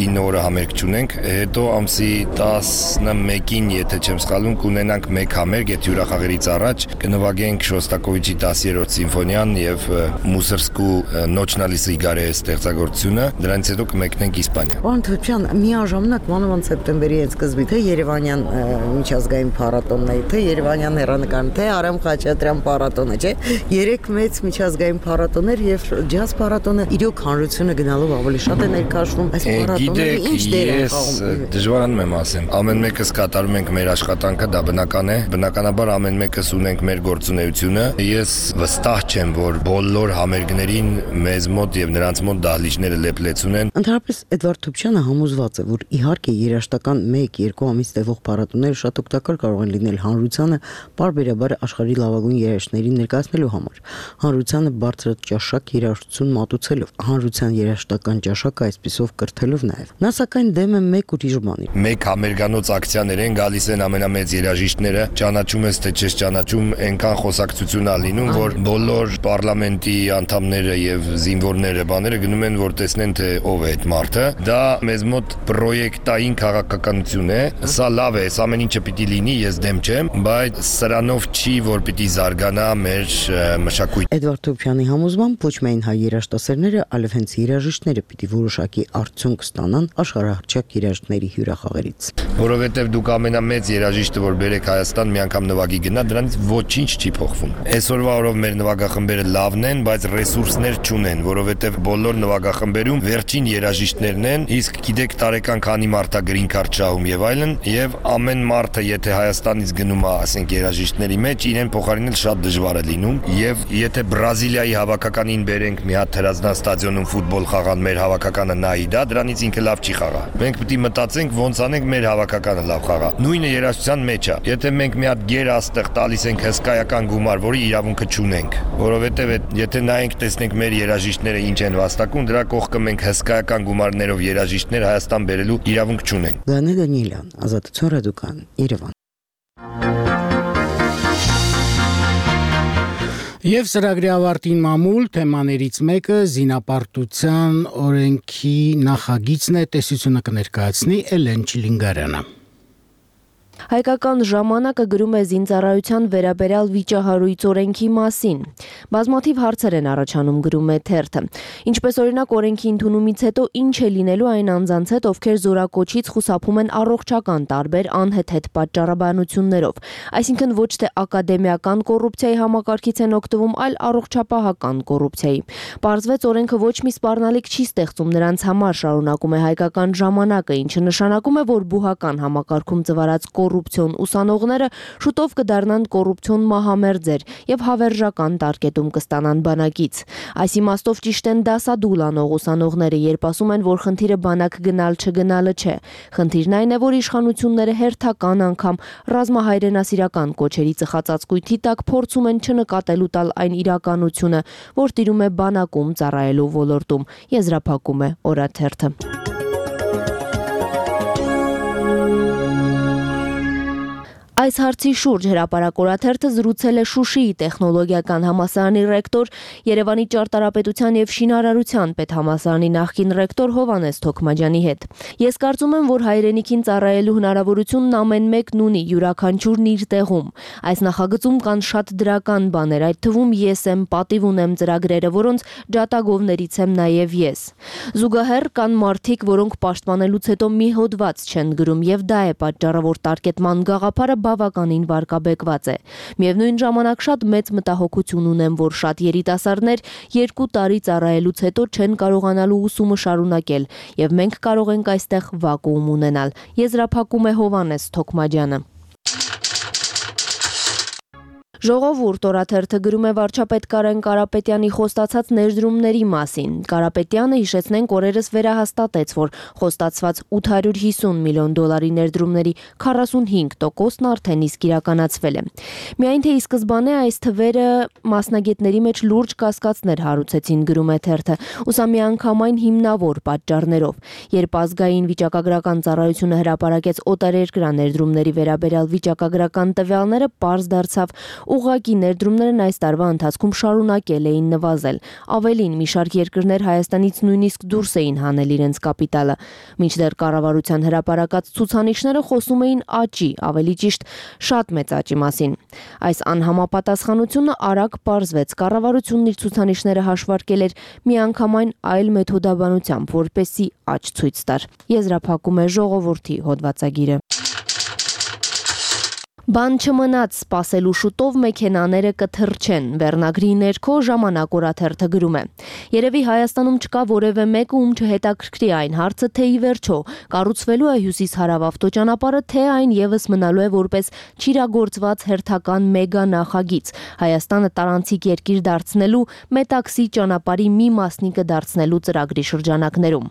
ինը օրը համերգ չունենք, հետո ամսի տասնմեկին, եթե չեմ սխալվում, կունենանք մեկ համերգ այդ հյուրախաղերից առաջ, կնվագենք Շոստակովիչի տասերորդ սիմֆոնիան եւ Մուսորսկու Նոչնալի Սիգարե ստեղծագործությունը, դրանից հետո կմեկնենք Իսպանիա։ Պարոն Թոփչյան, միաժամանակ մանավանդ սեպտեմբերի այդ սկզբի թե Երևանյան միջազգային փառատոնն է, թե Երևանյան հեռանկարն, թե Արամ Խաչատրյան փառատոնը, չէ՞։ Երեք մեծ միջազգային փառատոներ եւ ջազ փառատոնը իրոք հանրությունը գնալով ավելի շատ է ներկայացվում։ Այս փառատոնները ինչ դեր են խաղում։ Դժվարանում եմ ասեմ։ Ամեն մեկս կատարում ենք մեր աշխատանքը, դա բնական է։ Բնականաբար ամեն մեկս ունենք մեր գործունեությունը։ Ես վստահ չեմ, որ բոլոր համերգներին մեզ մոտ եւ նրանց մոտ դահլիճները լեփլեցուն են։ Ընդհանրապես Էդվարդ Թոփչյանը համոզված է, որ իհարկե երաժշտական մեկ-երկու ամիս տևող փառատոները շատ օգտակար կարող են լինել հանրությանը բարբերաբար աշխարհի լավագույն երաժիշտներին ներկայացնելու համար, հանրությանը բարձրաճաշակ երաժշտություն մատուցելով, հանրության երաժշտական ճաշակը այսպիսով կրթելով նաև։ Նա սակայն դեմ է մեկ ուրիշ բանի։ Մեկ համերգանոց ակցիաներ են, գալիս են ամենամեծ երաժիշտները, ճանաչում ես թե չես ճանաչում, այնքան խոսակցություն ա լինում, որ բոլոր պարլամենտի անդամները եւ զինվորները բաները գնում են, որ տեսնեն թե ով է այդ մարդը։ Դա մեզ մոտ պրոյեկտային քաղաքականություն է։ Սա լավ է, սա ամեն ինչը պիտի լինի, ես դեմ չեմ, բայց սրանով չի, որ պիտի զարգանա մեր մշակույթը։ Էդվարդ Թոփչյանի համոզմամբ ոչ միայն հայ երաժշտասերները, այլև հենց երաժիշտները պիտի որոշակի արդյունք ստանան աշխարհահռչակ երաժիշտների հյուրախաղերից։ Որովհետև դուք ամենամեծ երաժիշտը, որ բերեք Հայաստան, մի անգամ նվագի գնա, դրանից ոչինչ չի փոխվում։ Այսօրվա օրով մեր նվագախմբերը լավն են, բայց ռեսուրսներ չունեն, որովհետև բոլոր նվագախմբերում վերջին երաժիշտներն են, իսկ գիտեք տարեկան քանի մարդ է գրին քարտ շահում եւ այլն, եւ ամեն մարդը եթե Հայաստանից գնում է, ասենք երաժիշտների մեջ, իրեն փոխարինել շատ դժվար է լինում, եւ եթե Բրազիլիայի հավաքականին բերենք մի հատ հրազդան ստադիոնում ֆուտբոլ խաղան, մեր հավաքականը նայի դա, դրանից ինքը լավ չի խաղա։ Մենք պետք է մտածենք ոնց անենք մեր հավաքականը լավ խաղա։ Նույնը երաժշտության մեջ է։ Եթե մենք մի հատ գեր աստեղ տալիս ենք հսկայական գումար, որի իրավունքը չունենք, որովհետեւ եթե նայենք տեսնենք մեր երաժիշտները ինչ են վաստակում, դրա կողքը մենք հսկայական գումարներով երաժիշտներ Հայաստան բերելու իրավունք չունենք։ Գանե Դանիելյան, Ազատություն ռադիոկան, Երևան։ Եվ ծրագրի ավարտին մամուլ թեմաներից մեկը զինապարտության օրենքի նախագիծն է, տեսությունը կներկայացնի Էլեն Չիլինգարյանը։ Հայկական ժամանակը գրում է զինծառայության վերաբերյալ վիճահարույց օրենքի մասին։ Բազմաթիվ հարցեր են առաջանում, գրում է թերթը։ Ինչպես օրինակ օրենքի ընդունումից հետո ինչ է լինելու այն անձանց հետ, ովքեր զորակոչից խուսափում են առողջական տարբեր անհեթեթ պատճառաբանություններով։ Այսինքն ոչ թե ակադեմիական կոռուպցիայի համակարգից են օգտվում, այլ առողջապահական կոռուպցիայի։ Պարզվեց օրենքը ոչ մի սպառնալիք չի ստեղծում նրանց համար, շարունակում է Հայկական ժամանակը, ինչը նշանակում է, որ բուհական համակարգում ծվարած կոռուպցիոն ուսանողները շուտով կդառնան կոռուպցիոն մահամերձեր եւ հավերժական տարկետում կստանան բանակից։ Այս իմաստով ճիշտ են դասադուլ անող ուսանողները, երբ ասում են, որ խնդիրը բանակ գնալ չգնալը չէ։ Խնդիրն այն է, որ իշխանությունները հերթական անգամ ռազմահայրենասիրական կոչերի ծխածածկույթի տակ փորձում են չնկատելու տալ այն իրականությունը, որ տիրում է բանակում ծառայելու ոլորտում, եզրափակում է օրաթերթը։ Այս հարցի շուրջ հրապարակ օրաթերթը զրուցել է Շուշիի տեխնոլոգիական համալսարանի ռեկտոր, Երևանի ճարտարապետության եւ շինարարության պետհամալսարանի նախկին ռեկտոր Հովհաննես Թոքմաջյանի հետ։ Ես կարծում եմ, որ հայրենիքին ծառայելու հնարավորությունն ամեն մեկն ունի, յուրաքանչյուրն իր տեղում։ Այս նախագծում կան շատ դրական բաներ, այդ թվում ես եմ, պատիվ ունեմ ծրագրերը, որոնց ջատագովներից եմ նաեւ ես։ Զուգահեռ կան մարդիկ, որոնք պաշտպանելուց հետո մի հոդված չեն գրում, եւ դա է պատճառը, որ տարկետման գաղափարը բավականին վարկաբեկված է։ Միևնույն ժամանակ շատ մեծ մտահոգություն ունեմ, որ շատ երիտասարդներ երկու տարի ծառայելուց հետո չեն կարողանալու ուսումը շարունակել, եւ մենք կարող ենք այստեղ վակուում ունենալ, եզրափակում է Հովհաննես Թոքմաջյանը։ Ժողովուրդ օրաթերթը գրում է վարչապետ Կարեն Կարապետյանի խոստացած ներդրումների մասին։ Կարապետյանը, հիշեցնենք, օրերս վերահաստատեց, որ խոստացված ութ հարյուր հիսուն միլիոն դոլարի ներդրումների քառասունհինգ տոկոսն արդեն իսկ իրականացվել է։ Միայն թե ի սկզբանե այս թվերը մասնագետների մեջ լուրջ կասկածներ հարուցեցին, գրում է թերթը, ուսա միանգամայն հիմնավոր պատճառներով։ Երբ ազգային վիճակագրական ծառայությունը հրապարակեց օտարերկրյա ներդրումների վերաբերյալ վիճակագրական տվյալները, պարզ դարձավ, ուղղակի ներդրումներն այս տարվա ընթացքում շարունակել էին նվազել։ Ավելին, մի շարք երկրներ Հայաստանից նույնիսկ դուրս էին հանել իրենց կապիտալը։ Մինչդեռ կառավարության հրապարակած ցուցանիշները խոսում էին աճի, ավելի ճիշտ շատ մեծ աճի մասին։ Այս անհամապատասխանությունը արագ պարզվեց։ Կառավարությունն իր ցուցանիշները հաշվարկել էր միանգամայն այլ մեթոդաբանությամբ, որպեսզի աճ ցույց տար։ Եզրափակում է Ժողովրդի հոդվածագիրը։ Բան չմնաց, սպասելու շուտով մեքենաները կթռչեն, վերնագրի ներքո ժամանակ օրաթերթը գրում է։ Երևի Հայաստանում չկա որևէ մեկը, ում չհետաքրքրի այն հարցը, թե ի վերջո կառուցվելու է հյուսիս-հարավ ավտոճանապարհը, թե այն եւս մնալու է որպես չիրագործված հերթական մեգա նախագիծ, Հայաստանը տարանցիկ երկիր դարձնելու, մետաքսի ճանապարհի մի մասնիկը դարձնելու ծրագրի շրջանակներում։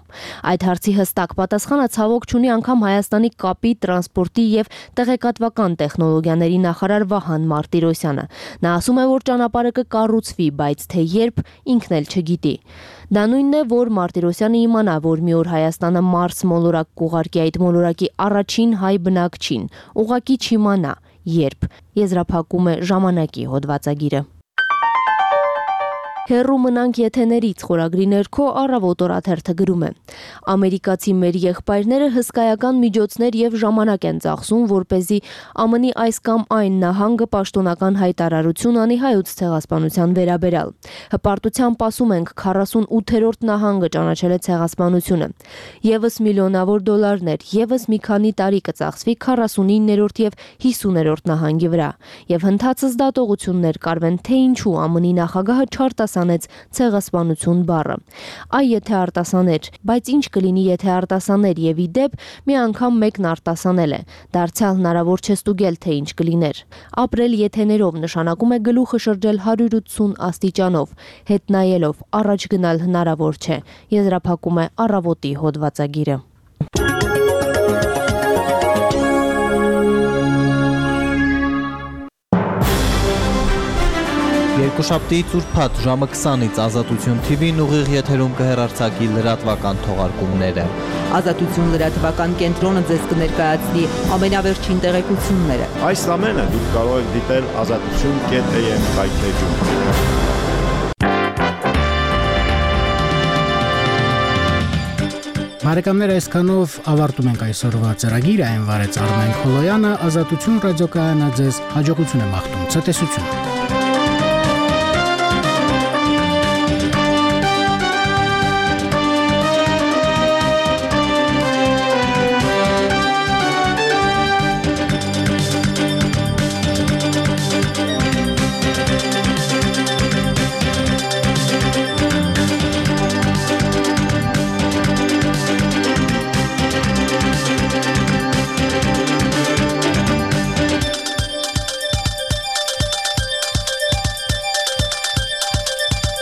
Այդ հարցի հստակ պատասխանը ցավոք չունի անգամ Հայաստանի կապի, տրանսպորտի եւ տեղեկատվական տեխնոլոգիաների նախարար Վահան Մարտիրոսյանը։ Նա ասում է, որ ճանապարհը կկառուցվի, բայց թե երբ, ինքն էլ չգիտի։ Դա նույնն է, որ Մարտիրոսյանը իմանա, որ մի օր Հայաստանը Մարս մոլորակ կուղարկի, այդ մոլորակի առաջին հայ բնակչին, ուղղակի չիմանա երբ, եզրափակում է ժամանակի հոդվածագիրը։ Հեռու մնանք եթեներից խորագրի ներքո առավոտ օրաթերթը գրում է. Ամերիկացի մեր եղբայրները հսկայական միջոցներ եւ ժամանակ են ծախսում, որպեսզի ԱՄՆ-ի այս կամ այն նահանգը պաշտոնական հայտարարություն անի հայոց ցեղասպանության վերաբերյալ։ Հպարտությամբ ասում ենք քառասունութերորդ նահանգը ճանաչել է ցեղասպանությունը։ Եվս միլիոնավոր դոլարներ, եւս մի քանի տարի կծախսվի քառասունիններորդ եւ հիսուներորդ նահանգի վրա։ Եվ հնդածս դատողություններ կարվեն, թե ինչու ԱՄՆ-ի նախագահը չարտասանեց ցեղասպանություն բառը։ Այ եթե արտասաներ, բայց ինչ կլինի, եթե արտասաներ եւ ի դեպ մի անգամ մեկն արտասանել է։ Դարձյալ հնարավոր չէ ստուգել, թե ինչ կլիներ։ Ապրել եթեներով նշանակում է գլուխը շրջել հարյուր ութսուն աստիճանով, հետ նայելով առաջ գնալ հնարավոր չէ, եզրափակում է առավոտի հոդվածագիրը։ Երկուշաբթիից ուրբաթ ժամը քսանից Ազատություն Թի Վին ուղիղ եթերում կհեռարձակի լրատվական թողարկումները։ Ազատություն լրատվական կենտրոնը ձեզ կներկայացնի ամենավերջին տեղեկությունները։ Այս ամենը դուք կարող եք դիտել ազատություն կետ էյ էմ կայքեջում։ Բարեկամներ, այսքանով ավարտում ենք այսօրվա ծրագիրը, այն վարեց Արմեն Խոլոյանը, Ազատություն ռադիոկայանը ձեզ հաջողություն է մաղթում, ցտեսություն։